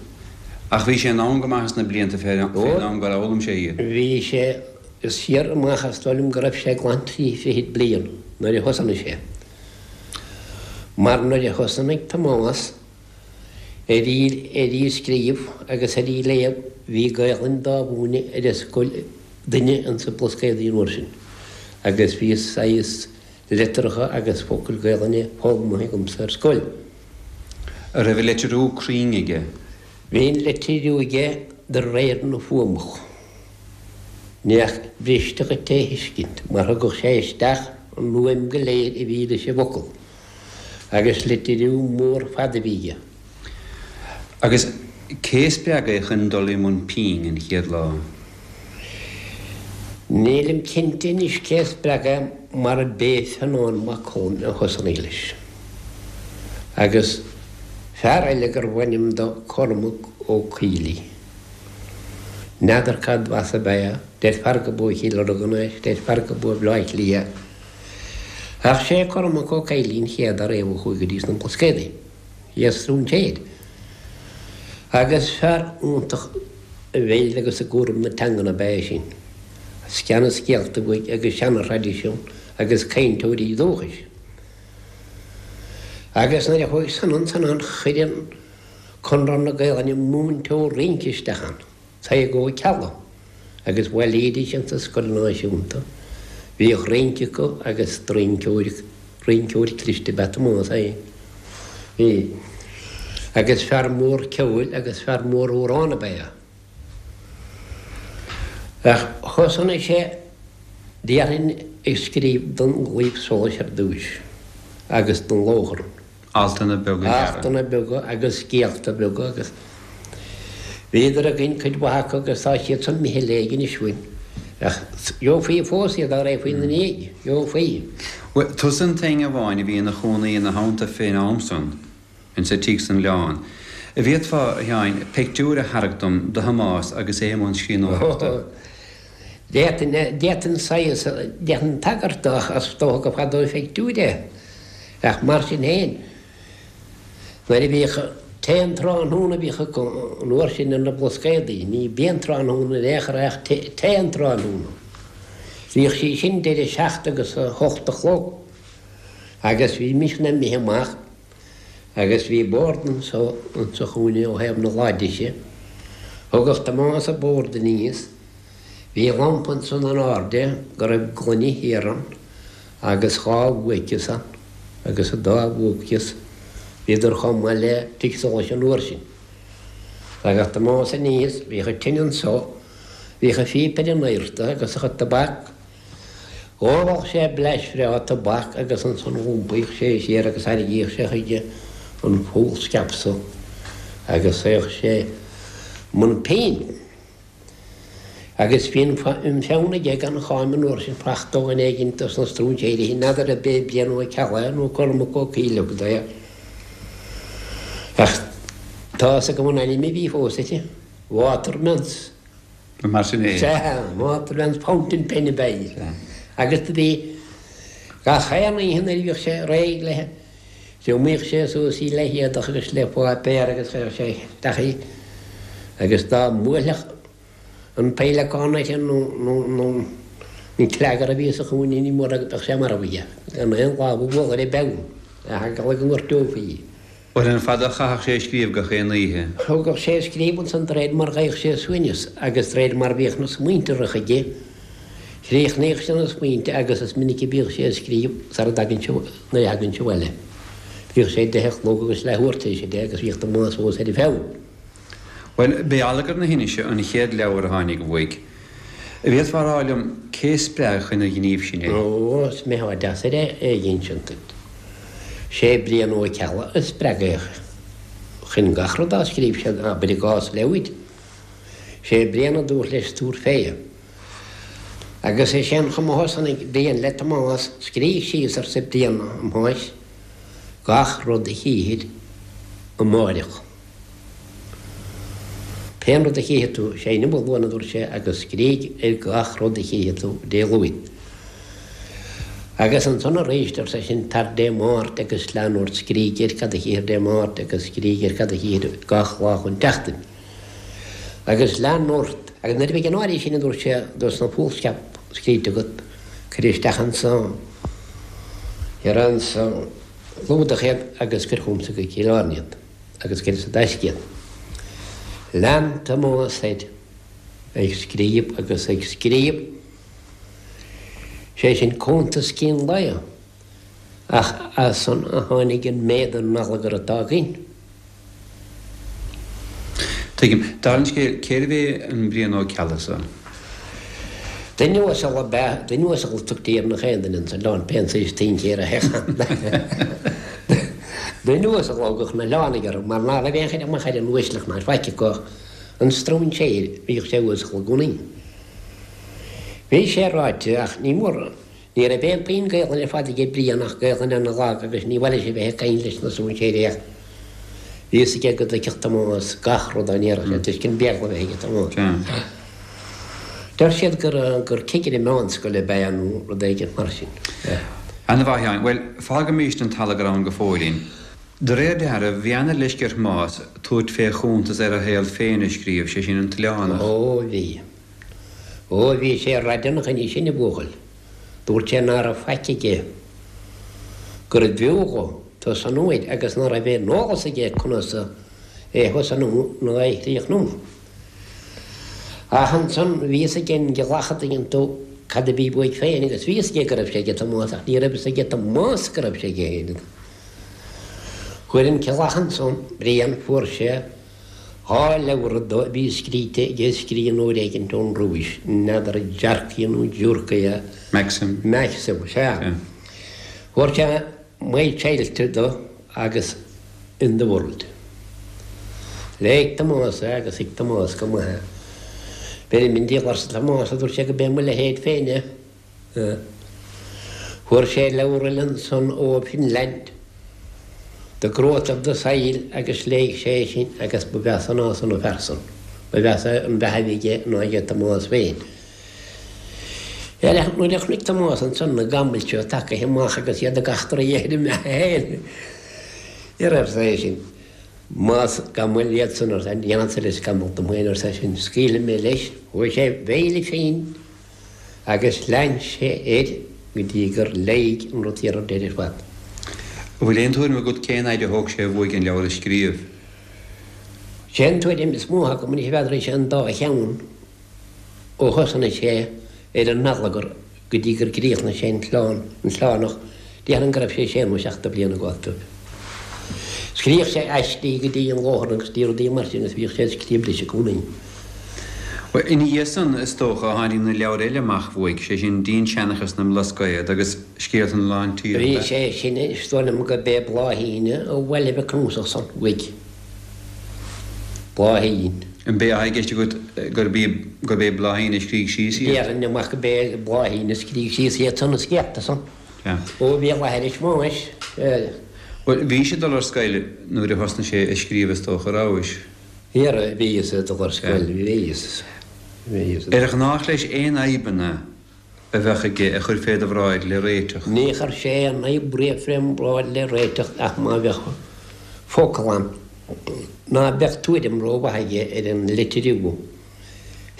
Ach bhí sé in ann go maith sna blianta fén am gur fhoghlaim sé iad. Bhí sé siar amach is dóigh liom go raibh sé glan trí fichid bliain nuair a thosnaigh sé. Mar nuair a thosnaigh Tomás ar í scríobh agus ar í léamh, bhí Gaelainn dá mhúineadh ar an scoil duine insa Blascaodaí an uair sin. Agus bhí saghas litreacha agus focail Gaelainne foghlamtha agamsa ar scoil. An raibh an litriú cruinn aige? Bhí an litriú aige de réir na fuaimeach. Ní ach briste dhuit é a thuiscint, mar thugadh sé isteach an fhuaim go léir a bhí leis an bhfocal, agus litriú mór fada a bhí aige. Agus cé a spreag é chun dul i mbun pinn an chéad lá? Nílim cinnte anois cé a spreag é mar b'é Fionán Mac Coluim a thosnaigh leis. Agus fear eile gurbh ainm dó Cormac Ó Caollaí. N'fheadar cad as ab ea, deirfear go b'ó Chill Lurgan é, deirfear go b'ó Bhleá Cliath. Ach sé Cormac Ó Caollaí an chéad dá raibh a chuaigh go dtí sna Blascaodaí. Is stróinséir. Agus fear iontach i bhfeighil agus i gcúram na teangan ab ea é sin. Seana-scéalta uaidh agus seana-thraidisiún agus cainteoirí dúchais. Agus nuair a chuaigh san ansan ann chuir an Conradh na Gaelainne múinteoir rince isteach ann, Tadhg Ó Ceallaigh, agus bhailídís insa Scoil Náisiúnta. Bhíodh rince acu agus rinceoir, rinceoir cliste ab ea Tomás féin. Bhí. Agus fear mór ceoil agus fear mór amhrán ab ea é. Ach thosnaigh sé, déarfainn, ag scríobh don Chlaíomh Solais ar dtúis agus don Lóchrann. Altanna beaga gearra. Altanna beaga agus scéalta beaga agus bhíodar againn cuid mhaith acu agus tá siad san imithe i léig anois uainn. Ach gheofaí fós iad dá raghfaí ina ndiaidh, gheofaí. Bhuel, tusa an t-éinne amháin a bhí ina chónaí ina theannta fén am san, insa tigh san Ghleann. An bhféadfá, a Sheáin, pictiúr a tharrac dom de Thomás agus é i mbun scríbhneoireachta? D'fhéadfainn, d'fhéadfainn saghas, d'fhéadfainn tagairt dó ach is dócha gur fada ó phictiúr é. Ach mar sin féin, nuair a bhíodh tae an tráthnóna a bhíodh acu an uair sin ar na Blascaodaí, ní bia an tráthnóna in aon chor é ach tae an tráthnóna. Bhíodh sí sin idir a seacht agus a hocht a chlog agus bhímis imithe amach agus bhí bord anso insa chúinne ó thaobh na láimhe deise. Thugadh Tomás an bord aníos. Bhí lampa ansan in airde go raibh gloine thiar ann agus dhá bhuaiceas ann agus an dá bhuaiceas bhíodar chomh maith le tigh solais an uair sin. Thagadh Tomás aníos, bhíodh an tine anso, bhíodh a phíopa ar an adharta agus a chuid tobac. Dh'óladh sé blais bhreá tobac agus ansan dh'iompaíodh sé siar agus tharraingíodh sé chuige an foolscap so agus théadh sé i mbun pinn. Agus bhí an pheann aige gan cháim an uair sin fachta ó dhuine éigin dos na stróinséirí, n'fheadar ab é Brian Ó Ceallaigh nó Cormac Ó Caollaí a thug dó é. Ach tá fhios agam an ainm a bhí fós uirthi, Waterman's. Mar sin é. Sea, Waterman's fountain pen ab ea í. Agus do bhí gach aon oíche nuair a bhíodh sé réidh léi, thriomaíodh sé suas í le héadach agus le páipéar agus chuireadh sé isteach í agus dá mbuailfeadh an féileacán uirthi nó nó an cleagar a bhí sa chúinne ní mór go mbeadh sé marbh aige gan aon lámh a bhualadh ar an bpeann, le heagla go ngortófaí í. Bhuel, an fada a chaitheadh sé ag scríobh gach aon oíche? Thugadh sé ag scríobh ansan de réir mar gheibheadh sé suaimhneas agus de réir mar bhíodh na smaointe ag rith chuige. Chríochnaíodh sé na smaointe agus is minic a bhíodh sé ag scríobh sara dtagann sé, nuair a thagann sé abhaile. Bhíodh sé deich a chlog agus leathuair tar éis a deich agus bhíodh Tomás fós ar an pheann. Bhuel, b'é Allagar na hInise an chéad leabhar a tháinig uaidh. An bhféadfá a rá liom cé a spreag chun an ghnímh sin é? Ó, is mbeifeá deacair é a insint duit. Sé Brian Ó Ceallaigh a spreag é chun gach rud dá scríobh sé, abair i gcás leabhair. Sé Brian a dúirt leis tabhair fé. Agus is é an chuma a thosnaigh Brian le Tomás, Scrígh síos, arsa Brian, a Thomáis, gach rud a chífir amáireach. Pén rud a chífidh tú, sé inniu a Luan, a dúirt sé, agus scrígh ar gach rud a chífidh tú Dé Luain. Agus ansan arís, ar seisean, tar Dé Máirt agus lean ort, scrígh ar cad a chífir Dé Máirt agus scrígh ar cad a chífir gach lá chun tseachtain. Agus lean ort. Agus nuair a bheidh an áirithe sin, a dúirt sé, dos na foolscap scríte agat, cuir isteach anso, ar anso clúdach iad agus cuir chugamsa go Cill Airne iad agus cuir sa dtaisce iad. Lean Tomás air ag scríobh agus ag scríobh, sé sin cuntas cín lae, ach as san a tháinig an méad an allagar atá againn. Tuigim. Dála an scéil, cérbh é an Brian Ó Ceallaigh so? Duine uasal ab ea, duine uasal a tugtaí ar nach aon duine ins an oileán, pé an saghas tincéir a théadh ann. Duine uasal a thugadh na hoileánaigh orthu, mar ná raibh aon chuid amach ar an uaisleacht ná faic acu ach an stróinséir, bhíodh sé uasal i gcónaí. Bhí sé ráite, ach ní mór, ní raibh aon phingin Gaelainne ar fad aige Brian ach Gaelainn ana lag agus ní mhaith leis a bheith ag caint leis na stróinséirí ach bhí fhios aige go dtuigfeadh Tomás gach rud dá ndéarfadh sé toisc an Béarla a bheith aige Tomás. Deir siad gur gur cigire meánscoile ab ea é nó rud éigin mar sin. Ana mhaith, a Sheáin. Bhuel, fágaimis an tAllagar ann go fóillín. De réir dealraimh, bhí ana leisce ar Thomás tabhairt fé chuntas ar a shaol féin a scríobh, sé sin An tOileánach. Ó bhí. Ó bhí sé raideann ina choinne sin, a bhuachaill. Dúirt sé ná raibh faic aige gurbh fhiú dhó tosnú air agus ná raibh aon eolas aige conas é a thosnú ná é a chríochnú. Ach ansan bhí fhios aige an gCeallach a dtuigeann tú cad a bhí uaidh féin agus bhí fhios aige go raibh sé aige Tomás ach ní raibh fhios aige Tomás go raibh sé aige féin. Fuair an Ceallach ansan, Brian, fuair sé dhá leabhar dó a bhí scríte ag scríbhneoir éigint ón Rúis, n'fheadar Dearcaí nó Giúrcaí a. Maxim. Maxim, sea. Fuair sé My Childhood dó agus In the World. Léigh Tomás é agus thuig Tomás go maith é. Beirim an diabhal arsa Tomás, a dúirt sé, go b'é mo leithéid féin é. Fuair sé leabhar eile ansan ó Finland, The Growth of the Soil agus léigh sé é sin agus ba mheasa ná san an fear san. Ba mheasa an bheatha a bhí aige ná aige Tomás féin. Nuair a chonaic Tomás ansan na gamaill seo tagaithe amach agus iad ag eachtraí ar a mbeatha féin, ní raibh sé sin. Más gamaill iad san arsa, déanfadsa leis scamall dom féin arsa eisean, scaoilfidh mé leis. Chuaigh sé bhéile féin agus lean sé air go dtí gur léigh an rud thiar ar deireadh ar fad. An bhfuil aon tuairim agat cén fhaid a thóg sé uaidh an leabhar a scríobh? Sé an tuairim is mó agam anois n'fheadar sé an dá cheann ó thosnaigh sé ar an Allagar go dtí gur gcríochnaigh sé an tOileán, an tOileánach, déarfainn go raibh sé sé nó seacht de bhliana ag gabháil dóibh. Scríobhadh sé aistí go dtí an Lóchrann agus dtí rudaí mar sin agus bhíodh sé ag scríobh leis i gcónaí. Bhuel, ina dhiaidh san, is dócha, a tháinig na leabhair eile amach uaidh, sé sin Dinnseanchas na mBlascaod agus Scéalta na Lán Tíre, Bhí ab ea? sé sin, is dóigh liom go b'é Bláithín a bhailigh an cnuasach san uaidh. Bláithín. An b'é atá i gceist agat gurb í, gurb é Bláithín a scrígh síos iad? Déarfainn amach go b'é Bláithín a scrígh síos iad san, na scéalta san. Sea. Ó bhí a láthair is mó anois. Bhuel, bhís ag dul ar scoil nuair a thosnaigh sé ag scríobh is dócha, rabhais? Ara, bhíos ag dul ar Sea. scoil, bhíos. Bhíos ag. Ar ghnách leis aon fhadhbanna a bheadh aige a chur fé do bhráid le réiteach? Ní chuir sé aon fhadhb riamh fém bhráid le réiteach ach má bheadh focal ann ná beadh tuairim rómhaith aige ar an litriú.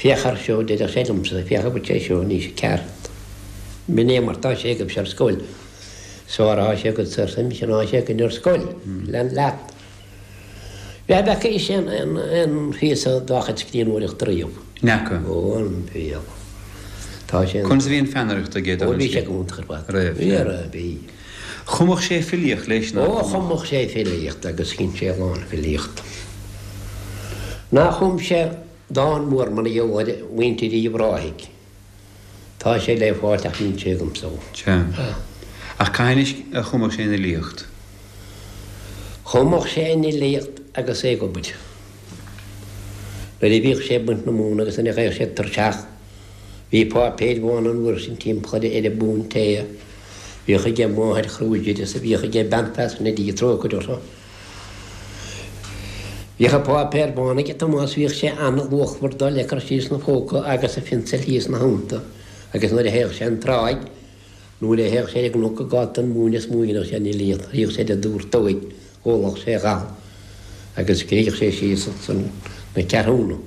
Féach air seo, deireadh sé liomsa, féach an bhfuil sé seo anois ceart. B'in é mar tá sé agaibhse ar scoil. Is fearr atá sé agatsa arsa mise ná sé againn ar scoil. Lean leat. Bheadh bheadh sé aon aon phíosa dá chuid scríbhneoireachta riamh. N'fheaca. Ó, an fial. Tá sé. Conas a bhí an pheannaireacht aige Ó dá bhí sé go hiontach ar fad. Raibh, Bhí, sea. raibh, bhí. Chumfadh sé filíocht leis, ná Ó, chumfadh? chumfadh sé filíocht agus dhein sé a lán filíochta. Ná chum sé dán mór mar gheall ar mhuintir Uíbh Ráthaigh. Tá sé le fáilt ach níl sé agamsa. Sea. Ach cathain a chumfadh sé an fhilíocht? Chumfadh sé an fhilíocht agus é ag obair. Nuair a bhíodh sé ag baint na móna agus nuair a bheadh sé tuirseach, bhí páipéir bhána an uair sin timpeall ar an bpúnt tae. Bhíodh aige máthair Kruger is a bhíodh aige bean Pheasna Dia trócaire orthu. Bhíodh an páipéar bán aige Tomás, bhíodh sé an-luachmhar dó le cur síos 'na phóca agus a phionsail thíos 'na theannta agus nuair a théadh sé an tráigh, nuair a théadh sé ar an gcnoc ag gabháil don mhóin is mó a dhéanadh sé an fhilíocht, théadh sé ar an dúrtóig, ólfadh sé a dhath agus scríobhadh sé síos ansan na ceathrúna.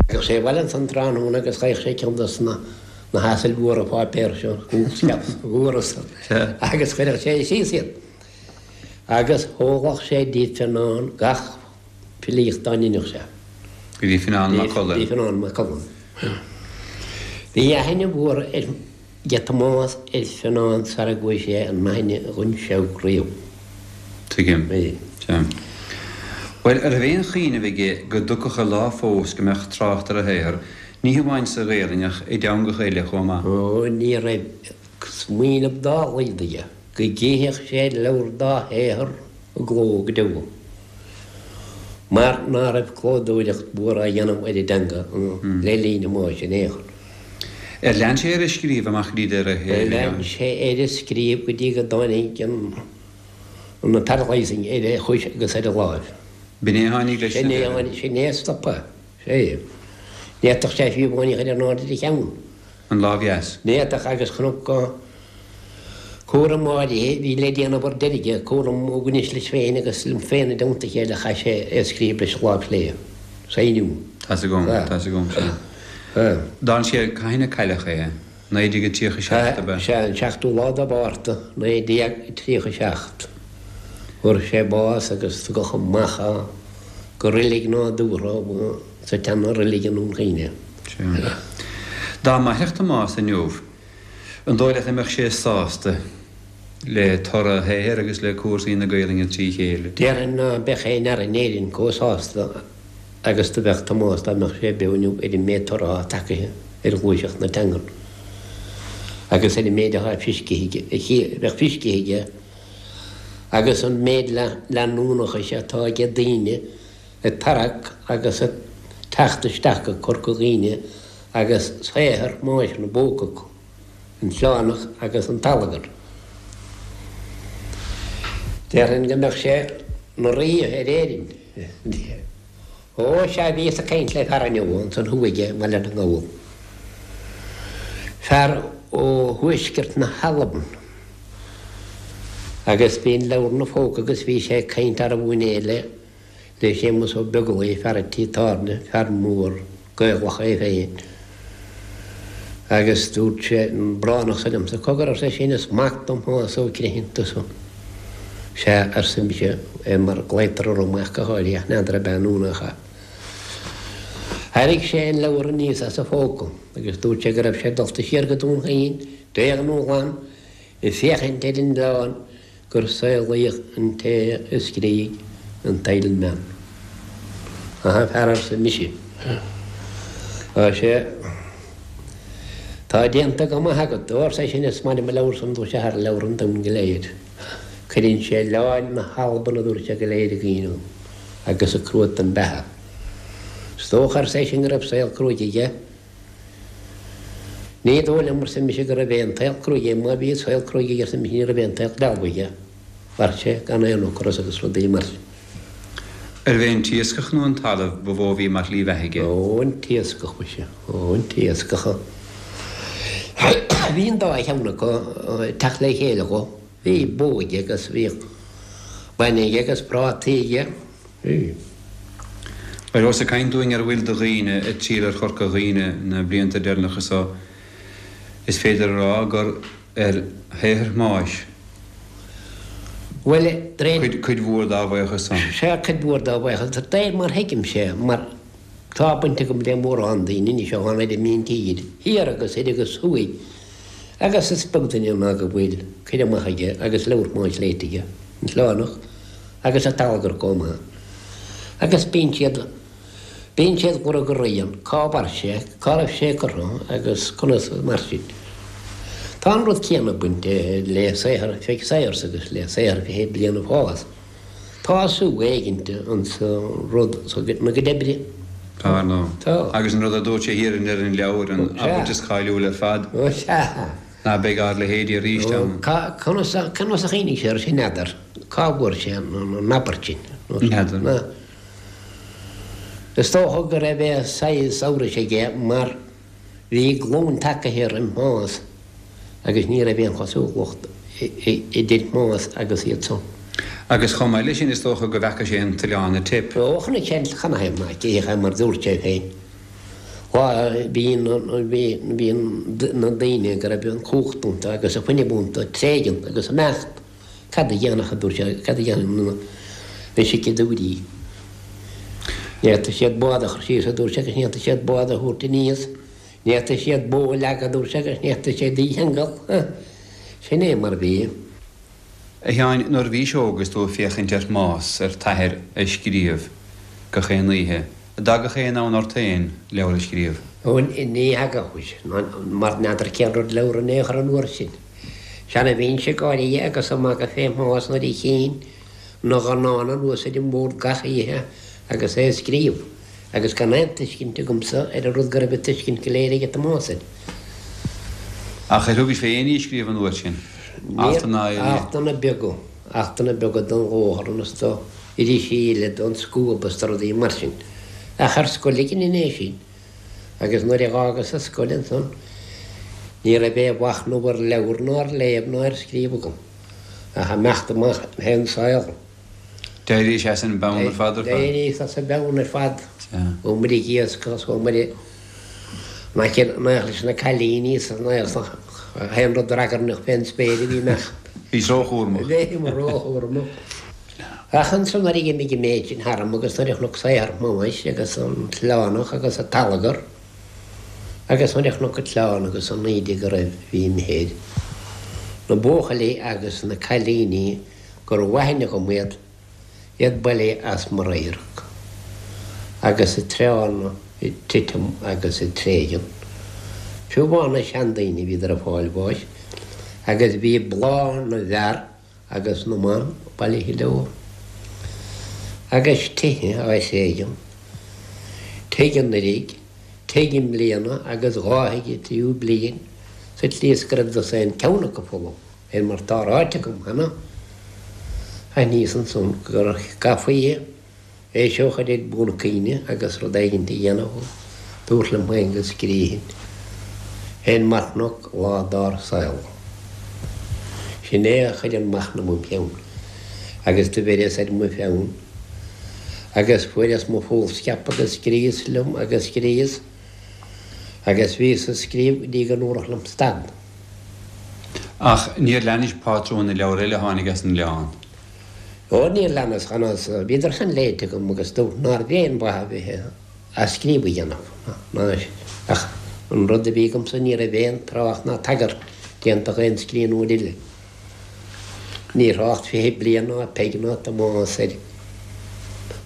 Thagadh sé abhaile ansan tráthnóna agus gheibheadh sé ceann dos na na hasail mhóra pháipéir seo, foolscap mhóra san, agus chuireadh sé síos iad. Agus thógadh sé dtí Fionán gach filíocht dá ndeineadh sé. Go dtí Fionán Mac Coluim. Dtí Fionán Mac Coluim. Bhí aithne mhór aige Tomás ar Fionán sara gcuaigh sé in aithne dhon Seabhac riamh. Tuigim. Bhí. Sea. Bhuel, Bhuel, an raibh aon chuimhneamh aige go dtiocfadh an lá fós go mbeadh trácht ar a shaothar, ní hamháin sa Ghaelainn ach i dteangacha eile chomh maith? Ó, ní raibh smaoineamh dá laghad aige go gcífeadh sé leabhar dá shaothar i gcló go deo, mar ná raibh clódóireacht mhór á dhéanamh ar an dteanga le linn Thomáis in aon chor. Ar lean sé air ag scríobh amach go dtí deireadh a shaoil? Lean sé air ag scríobh go dtí go dtáinig an paralysing ar a chois agus ar a láimh. B'in é a tháinig leis na deireadh. Sin é a stop é. Ní fhéadfadh sé fiú amháin í a chur in airde ar a cheann. An lámh dheas. Ní fhéadfadh agus chonac cúram áirithe a bhí le déanamh ar deireadh aige, cúram ó bhainis leis féin agus liom féin i dteannta a chéile chaith sé é a scríobh leis an lámh chlé. Sainiú. Tá's agam, tá's agam, sea. D'fhan sé cathain a cailleadh é? naoi déag a tríocha seacht ab ea? Sea, an seachtú lá de Mhárta, naoi déag tríocha seacht. Fuair sé bás agus tugadh amach é go reilig nádúrtha sa tseana-reilig i nDún Chaoin. Sea. Dá mairfeadh Tomás inniu, an dóigh leat a mbeadh sé sásta le toradh a shaothair agus le cúrsaí na Gaelainne trí chéile? Déarfainn ná beadh aon fhear in Éirinn chomh sásta agus do bheadh Tomás dá mbeadh sé beo inniu ar an méid toradh atá tagaithe ar ghluaiseacht na teangan agus ar an méid atá feiscithe aige, bheadh feiscithe aige agus an méid leanúnachais atá ag daoine ag tarrac agus ag teacht isteach go Corca Dhuibhne agus saothar Thomáis ina bpóca acu, An tOileánach agus An tAllagar. Déarfainn go mbeadh sé ina rí ar Éirinn. Ó, sea, bhíos ag caint le fear inniu ansan thuaidh i mBaile na nGall. Fear ó thuaisceart na hAlban. Agus bhí an leabhar ina phóca agus bhí sé ag caint arbh fhiú é le le Séamus Ó Beaglaoich, fear an tí tábhairne, fear mór Gaelach é féin. Agus dúirt sé an Bránach san liomsa, Cogar, arsa eisean, is mac dom Tomás Ó Criomhthain tusa. Sea, arsa mise, é mar glaotar orm ach go háirithe, ach n'fheadar ab ea nó nach ea. Thairrig sé an leabhar aníos as a phóca agus dúirt sé go raibh sé dulta siar go Dún Chaoin, bréag nó glan, ag féachaint ar an oileán gur saolaíodh an té a scrígh an t-Eilean Meann. Aha, fear arsa mise. Tá sé. Tá déanta go maith agat. Ó, arsa eisean, is maith liom an leabhar san, dúirt sé, thar leabhra an domhain go léir. Cuireann sé oileáin na hAlban, a dúirt sé, go léir i gcuimhne dhom, agus an cruatan beatha. Is dócha, arsa eisean, go raibh saol cruaidh aige. Ní dóigh liom, arsa mise, go raibh aon tsaol cruaidh aige. Má bhí saol cruaidh aige, arsa mise, ní raibh aon tsaol dealbh aige. Mhair sé gan aon ocras agus rudaí mar sin. Arbh é an t-iascach nó an talamh ba mhó a bhí mar shlí bheatha aige? Ó, an t-iascach, muise. Ó, an t-iascach. Bhí an dá cheann acu ag teacht le chéile dhó. Bhí bó aige agus bhíodh bainne aige agus prátaí aige. Bhí. Bhuel, ós ag caint dúinn ar a bhfuil de dhaoine ag triall ar Chorca Dhuibhne na blianta deireanacha so, is féidir a rá gur ar shaothar Thomáis Bhuel, de réir. cuid mhór dá bhuíochas san. Sea, cuid mhór dá bhuíochas. De réir mar thuigimse, mar tá baint agam le mórán daoine anois ó tháinig ar an tír, thiar agus thoir agus thuaidh, agus is beag duine ná go bhfuil cur amach aige agus leabhar Thomáis léite aige, An tOileánach. agus an tAllagar chomh maith. Agus bíonn siad, bíonn siad ag lorg a rian, cá mhair sé, cá raibh sé curtha agus conas mar sin. Tá an rud céanna ag baint le saothar Pheig Sayers agus le saothar Fiche Bliain ag Fás. Tá sú éigint insa rud so na gcuid oibre. Tá, ar ndóigh. Tá. Agus an rud a dúirt sé thiar i ndeireadh an leabhair, an abairt is cáiliúil ar fad. Ó sea. Ná beidh ár leithéidí arís ann. Conas a chuimhnigh sé air sin, n'fheadar. Cá bhfuair sé an abairt sin? N'fheadar. Is dócha go raibh saghas amhrais aige mar bhí glúin tagaithe roimh Thomás agus ní raibh aon chosúlacht idir Thomás agus iad san. Agus chomh maith leis sin is dócha go bhfeaca sé an t-oileán ag teip. Ó, chonaic sé an chan é mar dúirt sé féin. Lá bhí bhí na daoine go raibh an chumhacht iontu agus an fuinneamh iontu ag tréigean agus ag imeacht. Cad a dhéanfadh, a dúirt sé, cad a dhéanfadh na sicíodóirí? Ní fhéadfadh siad bád a chur síos, a dúirt sé, agus ní fhéadfadh siad bád a thabhairt aníos. Ní fhéadfadh siad bó a leagadh, a dúirt sé, agus ní fhéadfadh siad í a cheangal. Sin é mar a bhí. A Sheáin, nuair a bhís óg agus tú ag féachaint ar Thomás, ar t'athair, ag scríobh, gach aon oíche, an dtagadh aon fhonn ort féin leabhar a scríobh? Ó, ní thagadh, mar n'fheadar cén rud leabhar in aon chor an uair sin. Sea, bhínnse ag gáire agus ag magadh fé Thomás nuair a tchínn na dhornán anuas ar an mbord gach oíche agus é ag scríobh, agus gan aon tuiscint agamsa ar an rud go raibh an tuiscint go léir aige Tomás air. Ach ar thugais fé aon ní a scríobh an uair sin? Altanna eile? Altanna beaga, altanna beaga don Ghaotharlann is do irisí eile, don Scuab is do rudaí mar sin. Ach ar scoil a dheinin é sin. Agus nuair a dh'fhágas an scoil ansan, ní raibh aon mhachnamh ar leabhar ná ar léamh ná ar scríobh agam, ach imeacht amach fén saol. D'éirís as an bpeann ar fad ar fad? D'éiríos as an bpeann ar fad. Chuamair ag iascach is chuamair ag nach leis na cailíní is aon rud ragairneach fén spéir a bhí imeacht. Bhís róchúramach. Bhí mé róchúramach. Ach ansan nuair a d'imigh an méid sin tharam agus nuair a chonac saothar Thomáis agus an tOileánach agus an tAllagar agus nuair a chonac an tOileán agus an éide go raibh bhí imithe air, na buachaillí agus na cailíní gurbh aithne dhom iad, iad bailithe as mo radharc agus na tránna ag titim agus ag tréigean. Fiú amháin na seandaoine bhíodar ag fáil bháis agus bhí bláth na bhfear agus na mban bailithe leo. Agus tithe á thréigean, tigh anuraidh, tigh i mbliana agus dhá thigh an tríú bliain sa tslí is go raibh dosaen ceann acu folamh, fé mar atá ráite agam cheana. Aithníos ansan go gcaithfí é seo a chur ar bun na cuimhne agus rud éigin a dhéanamh, dúrt liom féin go scríobhainn fén marthanach lá dár saol. Sin é a chuir an machnamh im cheann agus do bheireas ar mo pheann agus fuaireas mo fhoolscap agus scríos liom agus scríos agus bhíos ag scríobh go dtí go ndúradh liom stad. Ach níor leanais pátrún na leabhar eile a tháinig as an oileán? Ó, níor leanas, chanas, bhíodar san léite agam agus dúirt nárbh aon mhaith a bheith á scríobh a dhéanamh, ná ach an rud a bhí agamsa ní raibh aon trácht ná tagairt déanta d'aon scríbhneoir eile. Níor thrácht fiche bliain ná Peig ná Tomás air.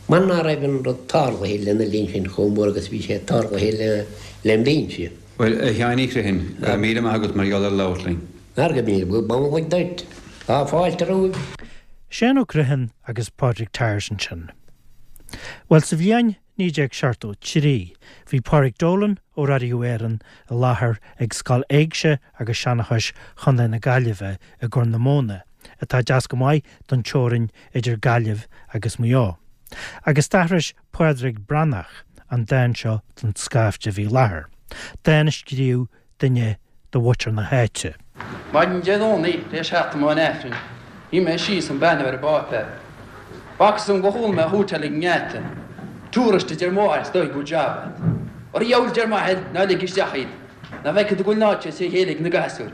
Mar ná raibh an rud tarlaithe lena linn sin chomh mór agus bhí sé tarlaithe le lem linnse. Bhuel, a Sheáin Uí Chriomhthain, go raibh míle maith agat mar gheall ar labhairt linn. Ar go míle b'amhlaidh duit. Tá fáilte romhaibh. Seán Ó Criomhthain agus Pádraig Tyers ansin. Bhuel, sa bhliain naoi déag seachtó trí, bhí Pádraig Dolan ó Raidió Éireann i láthair ag Scoil Éigse agus Seanchais Chontae na Gaillimhe i gCorr na Móna, atá deas go maith don teorainn idir Gaillimh agus Maigh Eo. Agus d'aithris Pádraig Breathnach an dán seo don scaifte a bhí i láthair. Dán a scríobh duine de mhuintir na háite. Maidin Dé Domhnaigh tar éis theacht dom ón Aifreann, shuigh mé síos chun breathnú ar an bpáipéar. B'fhacthas dom gur chuala mé hootáil ag an ngeata. Tourist a deir mo mháthair, is dóigh good job agat. Ar a dheabhail a deir m'athair, ná lig isteach iad. Nach bhfeicfidh tú go bhfuil an áit trí chéile ag na gasúir.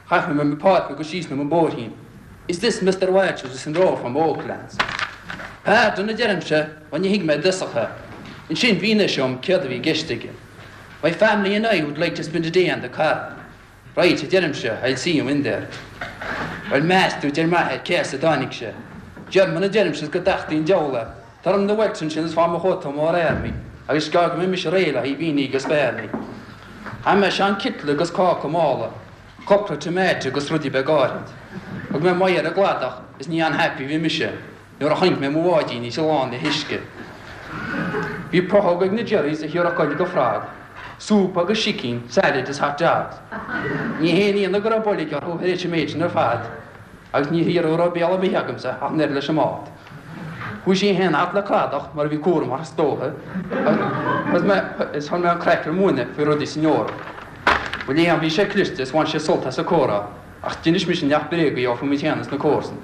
Chaith mé mo pháipéar agus síos liom an bóithrín. Is this Mister Walters is in row from Oaklands? Pardon a deirimse, bhuel ní thuig mé i dtosach é. Ansin mhínigh sé dom céard a bhí i gceist aige. My family and I would like to spend a day on the car. Right, a deirimse, I'll see you in there. Bhuel meas tú, deir m'athair, cé as a dtáinig sé. German a deirimse is go dtachtaí an diabhal é. Tá orm na welts ansin is fág mo chóta mór army agus is gearr go mbeidh mise réidh le haghaidh beanie agus bearnaí. Chaith mé sean citeal agus cáca mála, cupla tomato agus rudaí beag áirid. Thug mé m'aghaidh ar an gcladach is ní unhappy a bhí mise nuair a chonaic mé mo bháidín is í lán le huisce. Bhí prothóg ag na Jerrys a thiúrfadh goil do frog, súp agus sicín, salad is hot dogs. Ní haon ionadh go raibh boilg orthu tar éis an méid sin ar fad agus ní hiarraidh a raibh béal ar bith agamsa ach an oiread leis an mbád. Chuaigh sí féin thart le cladach mar a bhí cúramach is dócha agus mé is chuir mé an craic ar múineadh faoi rudaí san Eoraip. Bhuel léan bhí sé cliste is bhain sé sult as an comhrá ach d'inis mise neart bréaga dó faoi muid féin is na comharsana.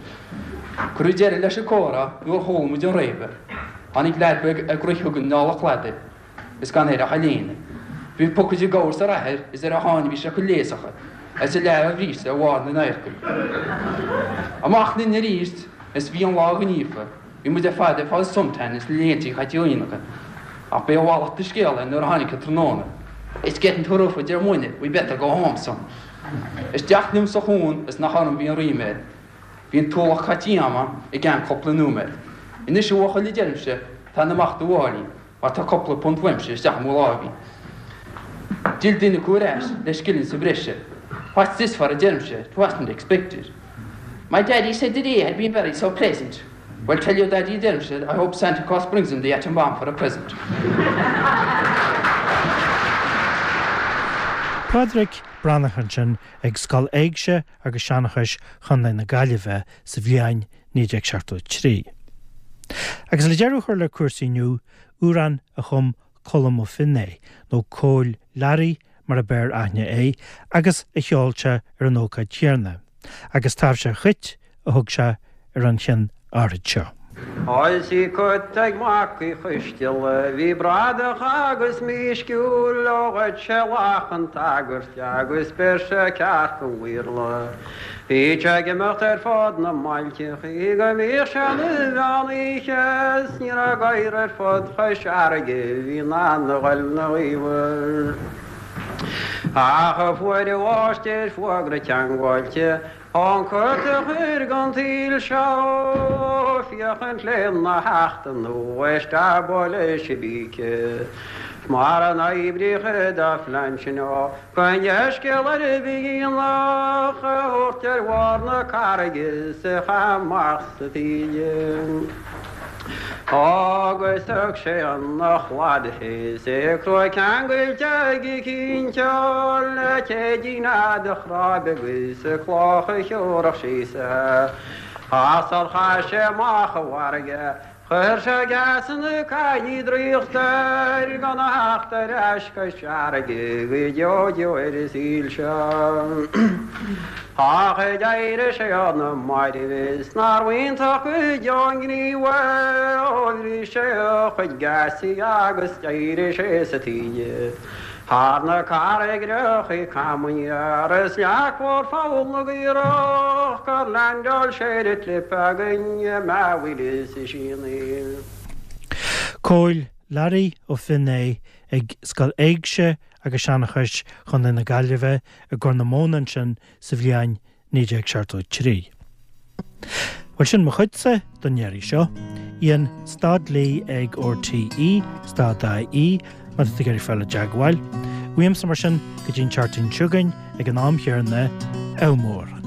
Cuireadh deireadh leis an comhrá nuair a chuala muid an réabadh. Tháinig leaid beag ag rith chugainn anall an cladaigh is gan air ach a léine. Bhí pocad gabhair sa athair is ar a sháinn bhí sé chomh léasach is a leath a bhríste ar bharr na n-adharcaí. Amach linn arís is bhí an lá gníofa. Bhí muid ar fad ag fáil suntan is na léinte caite ionacha. Ach b'é a mhallacht de scéal é nuair a tháinig an tráthnóna. It's getting too rough a deir muidne, we better go home son. Isteach liom sa chuan is nach orm bhí an ríméad. Bhí an t-ualach caite ama i gceann cúpla nóiméad. Anois a bhuachaill a deirimse, Fan amach do mháirín, mar tá cúpla punt uaimse isteach i mo láimhín. D'fhill duine acu ar ais le scilling sa bhreis. What's this for a deirimse, it wasn't expected. My daddy said the day had been very so pleasant. Well tell your daddy a deirimse, I hope Santa Claus brings him the atom bomb for a present. Pádraic Breathnach ansin ag Scoil Éigse agus Seanchais Chontae na Gaillimhe sa bhliain naoi déag seachtó a trí. Agus le deireadh a chur le cúrsaí inniu, amhrán a chum Colm Ó Finné, nó Cóil Learaí mar a b'fhearr aithne é, agus a cheol sé ar an ócáid chéanna, agus Taibhse an Chait a thug sé ar an cheann áirid seo. Is bhí cut ag mac Uí Choisteala, bhí bradach agus mísciúil, ó ghoid sé lach an tsagairt agus bheir sé cearc an Bhéarla. Bhí sé ag imeacht ar fud na mbailteachaí go mbíodh sé 'na mheán oíche, 's ní raibh gadhar ar fud Chois Fharraige a bhí in ann a ghoil 'na ghaobhar. Ach fuair an mháistir fuagra ceangailte ón cut a chuir gon tsaol seo féachaint lena theacht nó isteach buaile sibíce. Mar an oibríocha dá phlean sin ó gan dea-scéal ar bith ach a thabhairt ar bharr na carraige is a chaitheamh amach sa taoille. Agus thug sé 'na chladaigh é is é crua ceangailte aige cinnte le téidín fhada chráibe agus cloch a thiúrfadh síos é. Ach sar chaith sé amach i bhfarraige chuir sé geasanna caillí draíochta air gan a theacht ar ais Cois Fharraige go deo deo ar an saol seo. Ach d'éirigh sé ó na mairbh is nárbh iontach go deo an gníomh é, ó bhris sé a chuid geasaí agus d'éirigh sé sa taoille. Thar na carraigreachaí cam aniar is leac mhór Pholl na gCaorach gur leaindeáil sé ar an gclip againn i mBeithil sa Síonaí. Cóil Learaí Ó Finné ag Scoil Éigse agus Seanchais Chontae na Gaillimhe i gCorr na Móna ansin sa bhliain naoi déag seachtó a trí. Bhuel sin mo chuidse don iarraidh seo. Ian stad Lee ag RTE, stad IE, má tá tú ag iarraidh fáil i dteagmháil. Uaimse mar sin go dtí an tseachtain seo chugainn ag an am chéanna, ádh mór.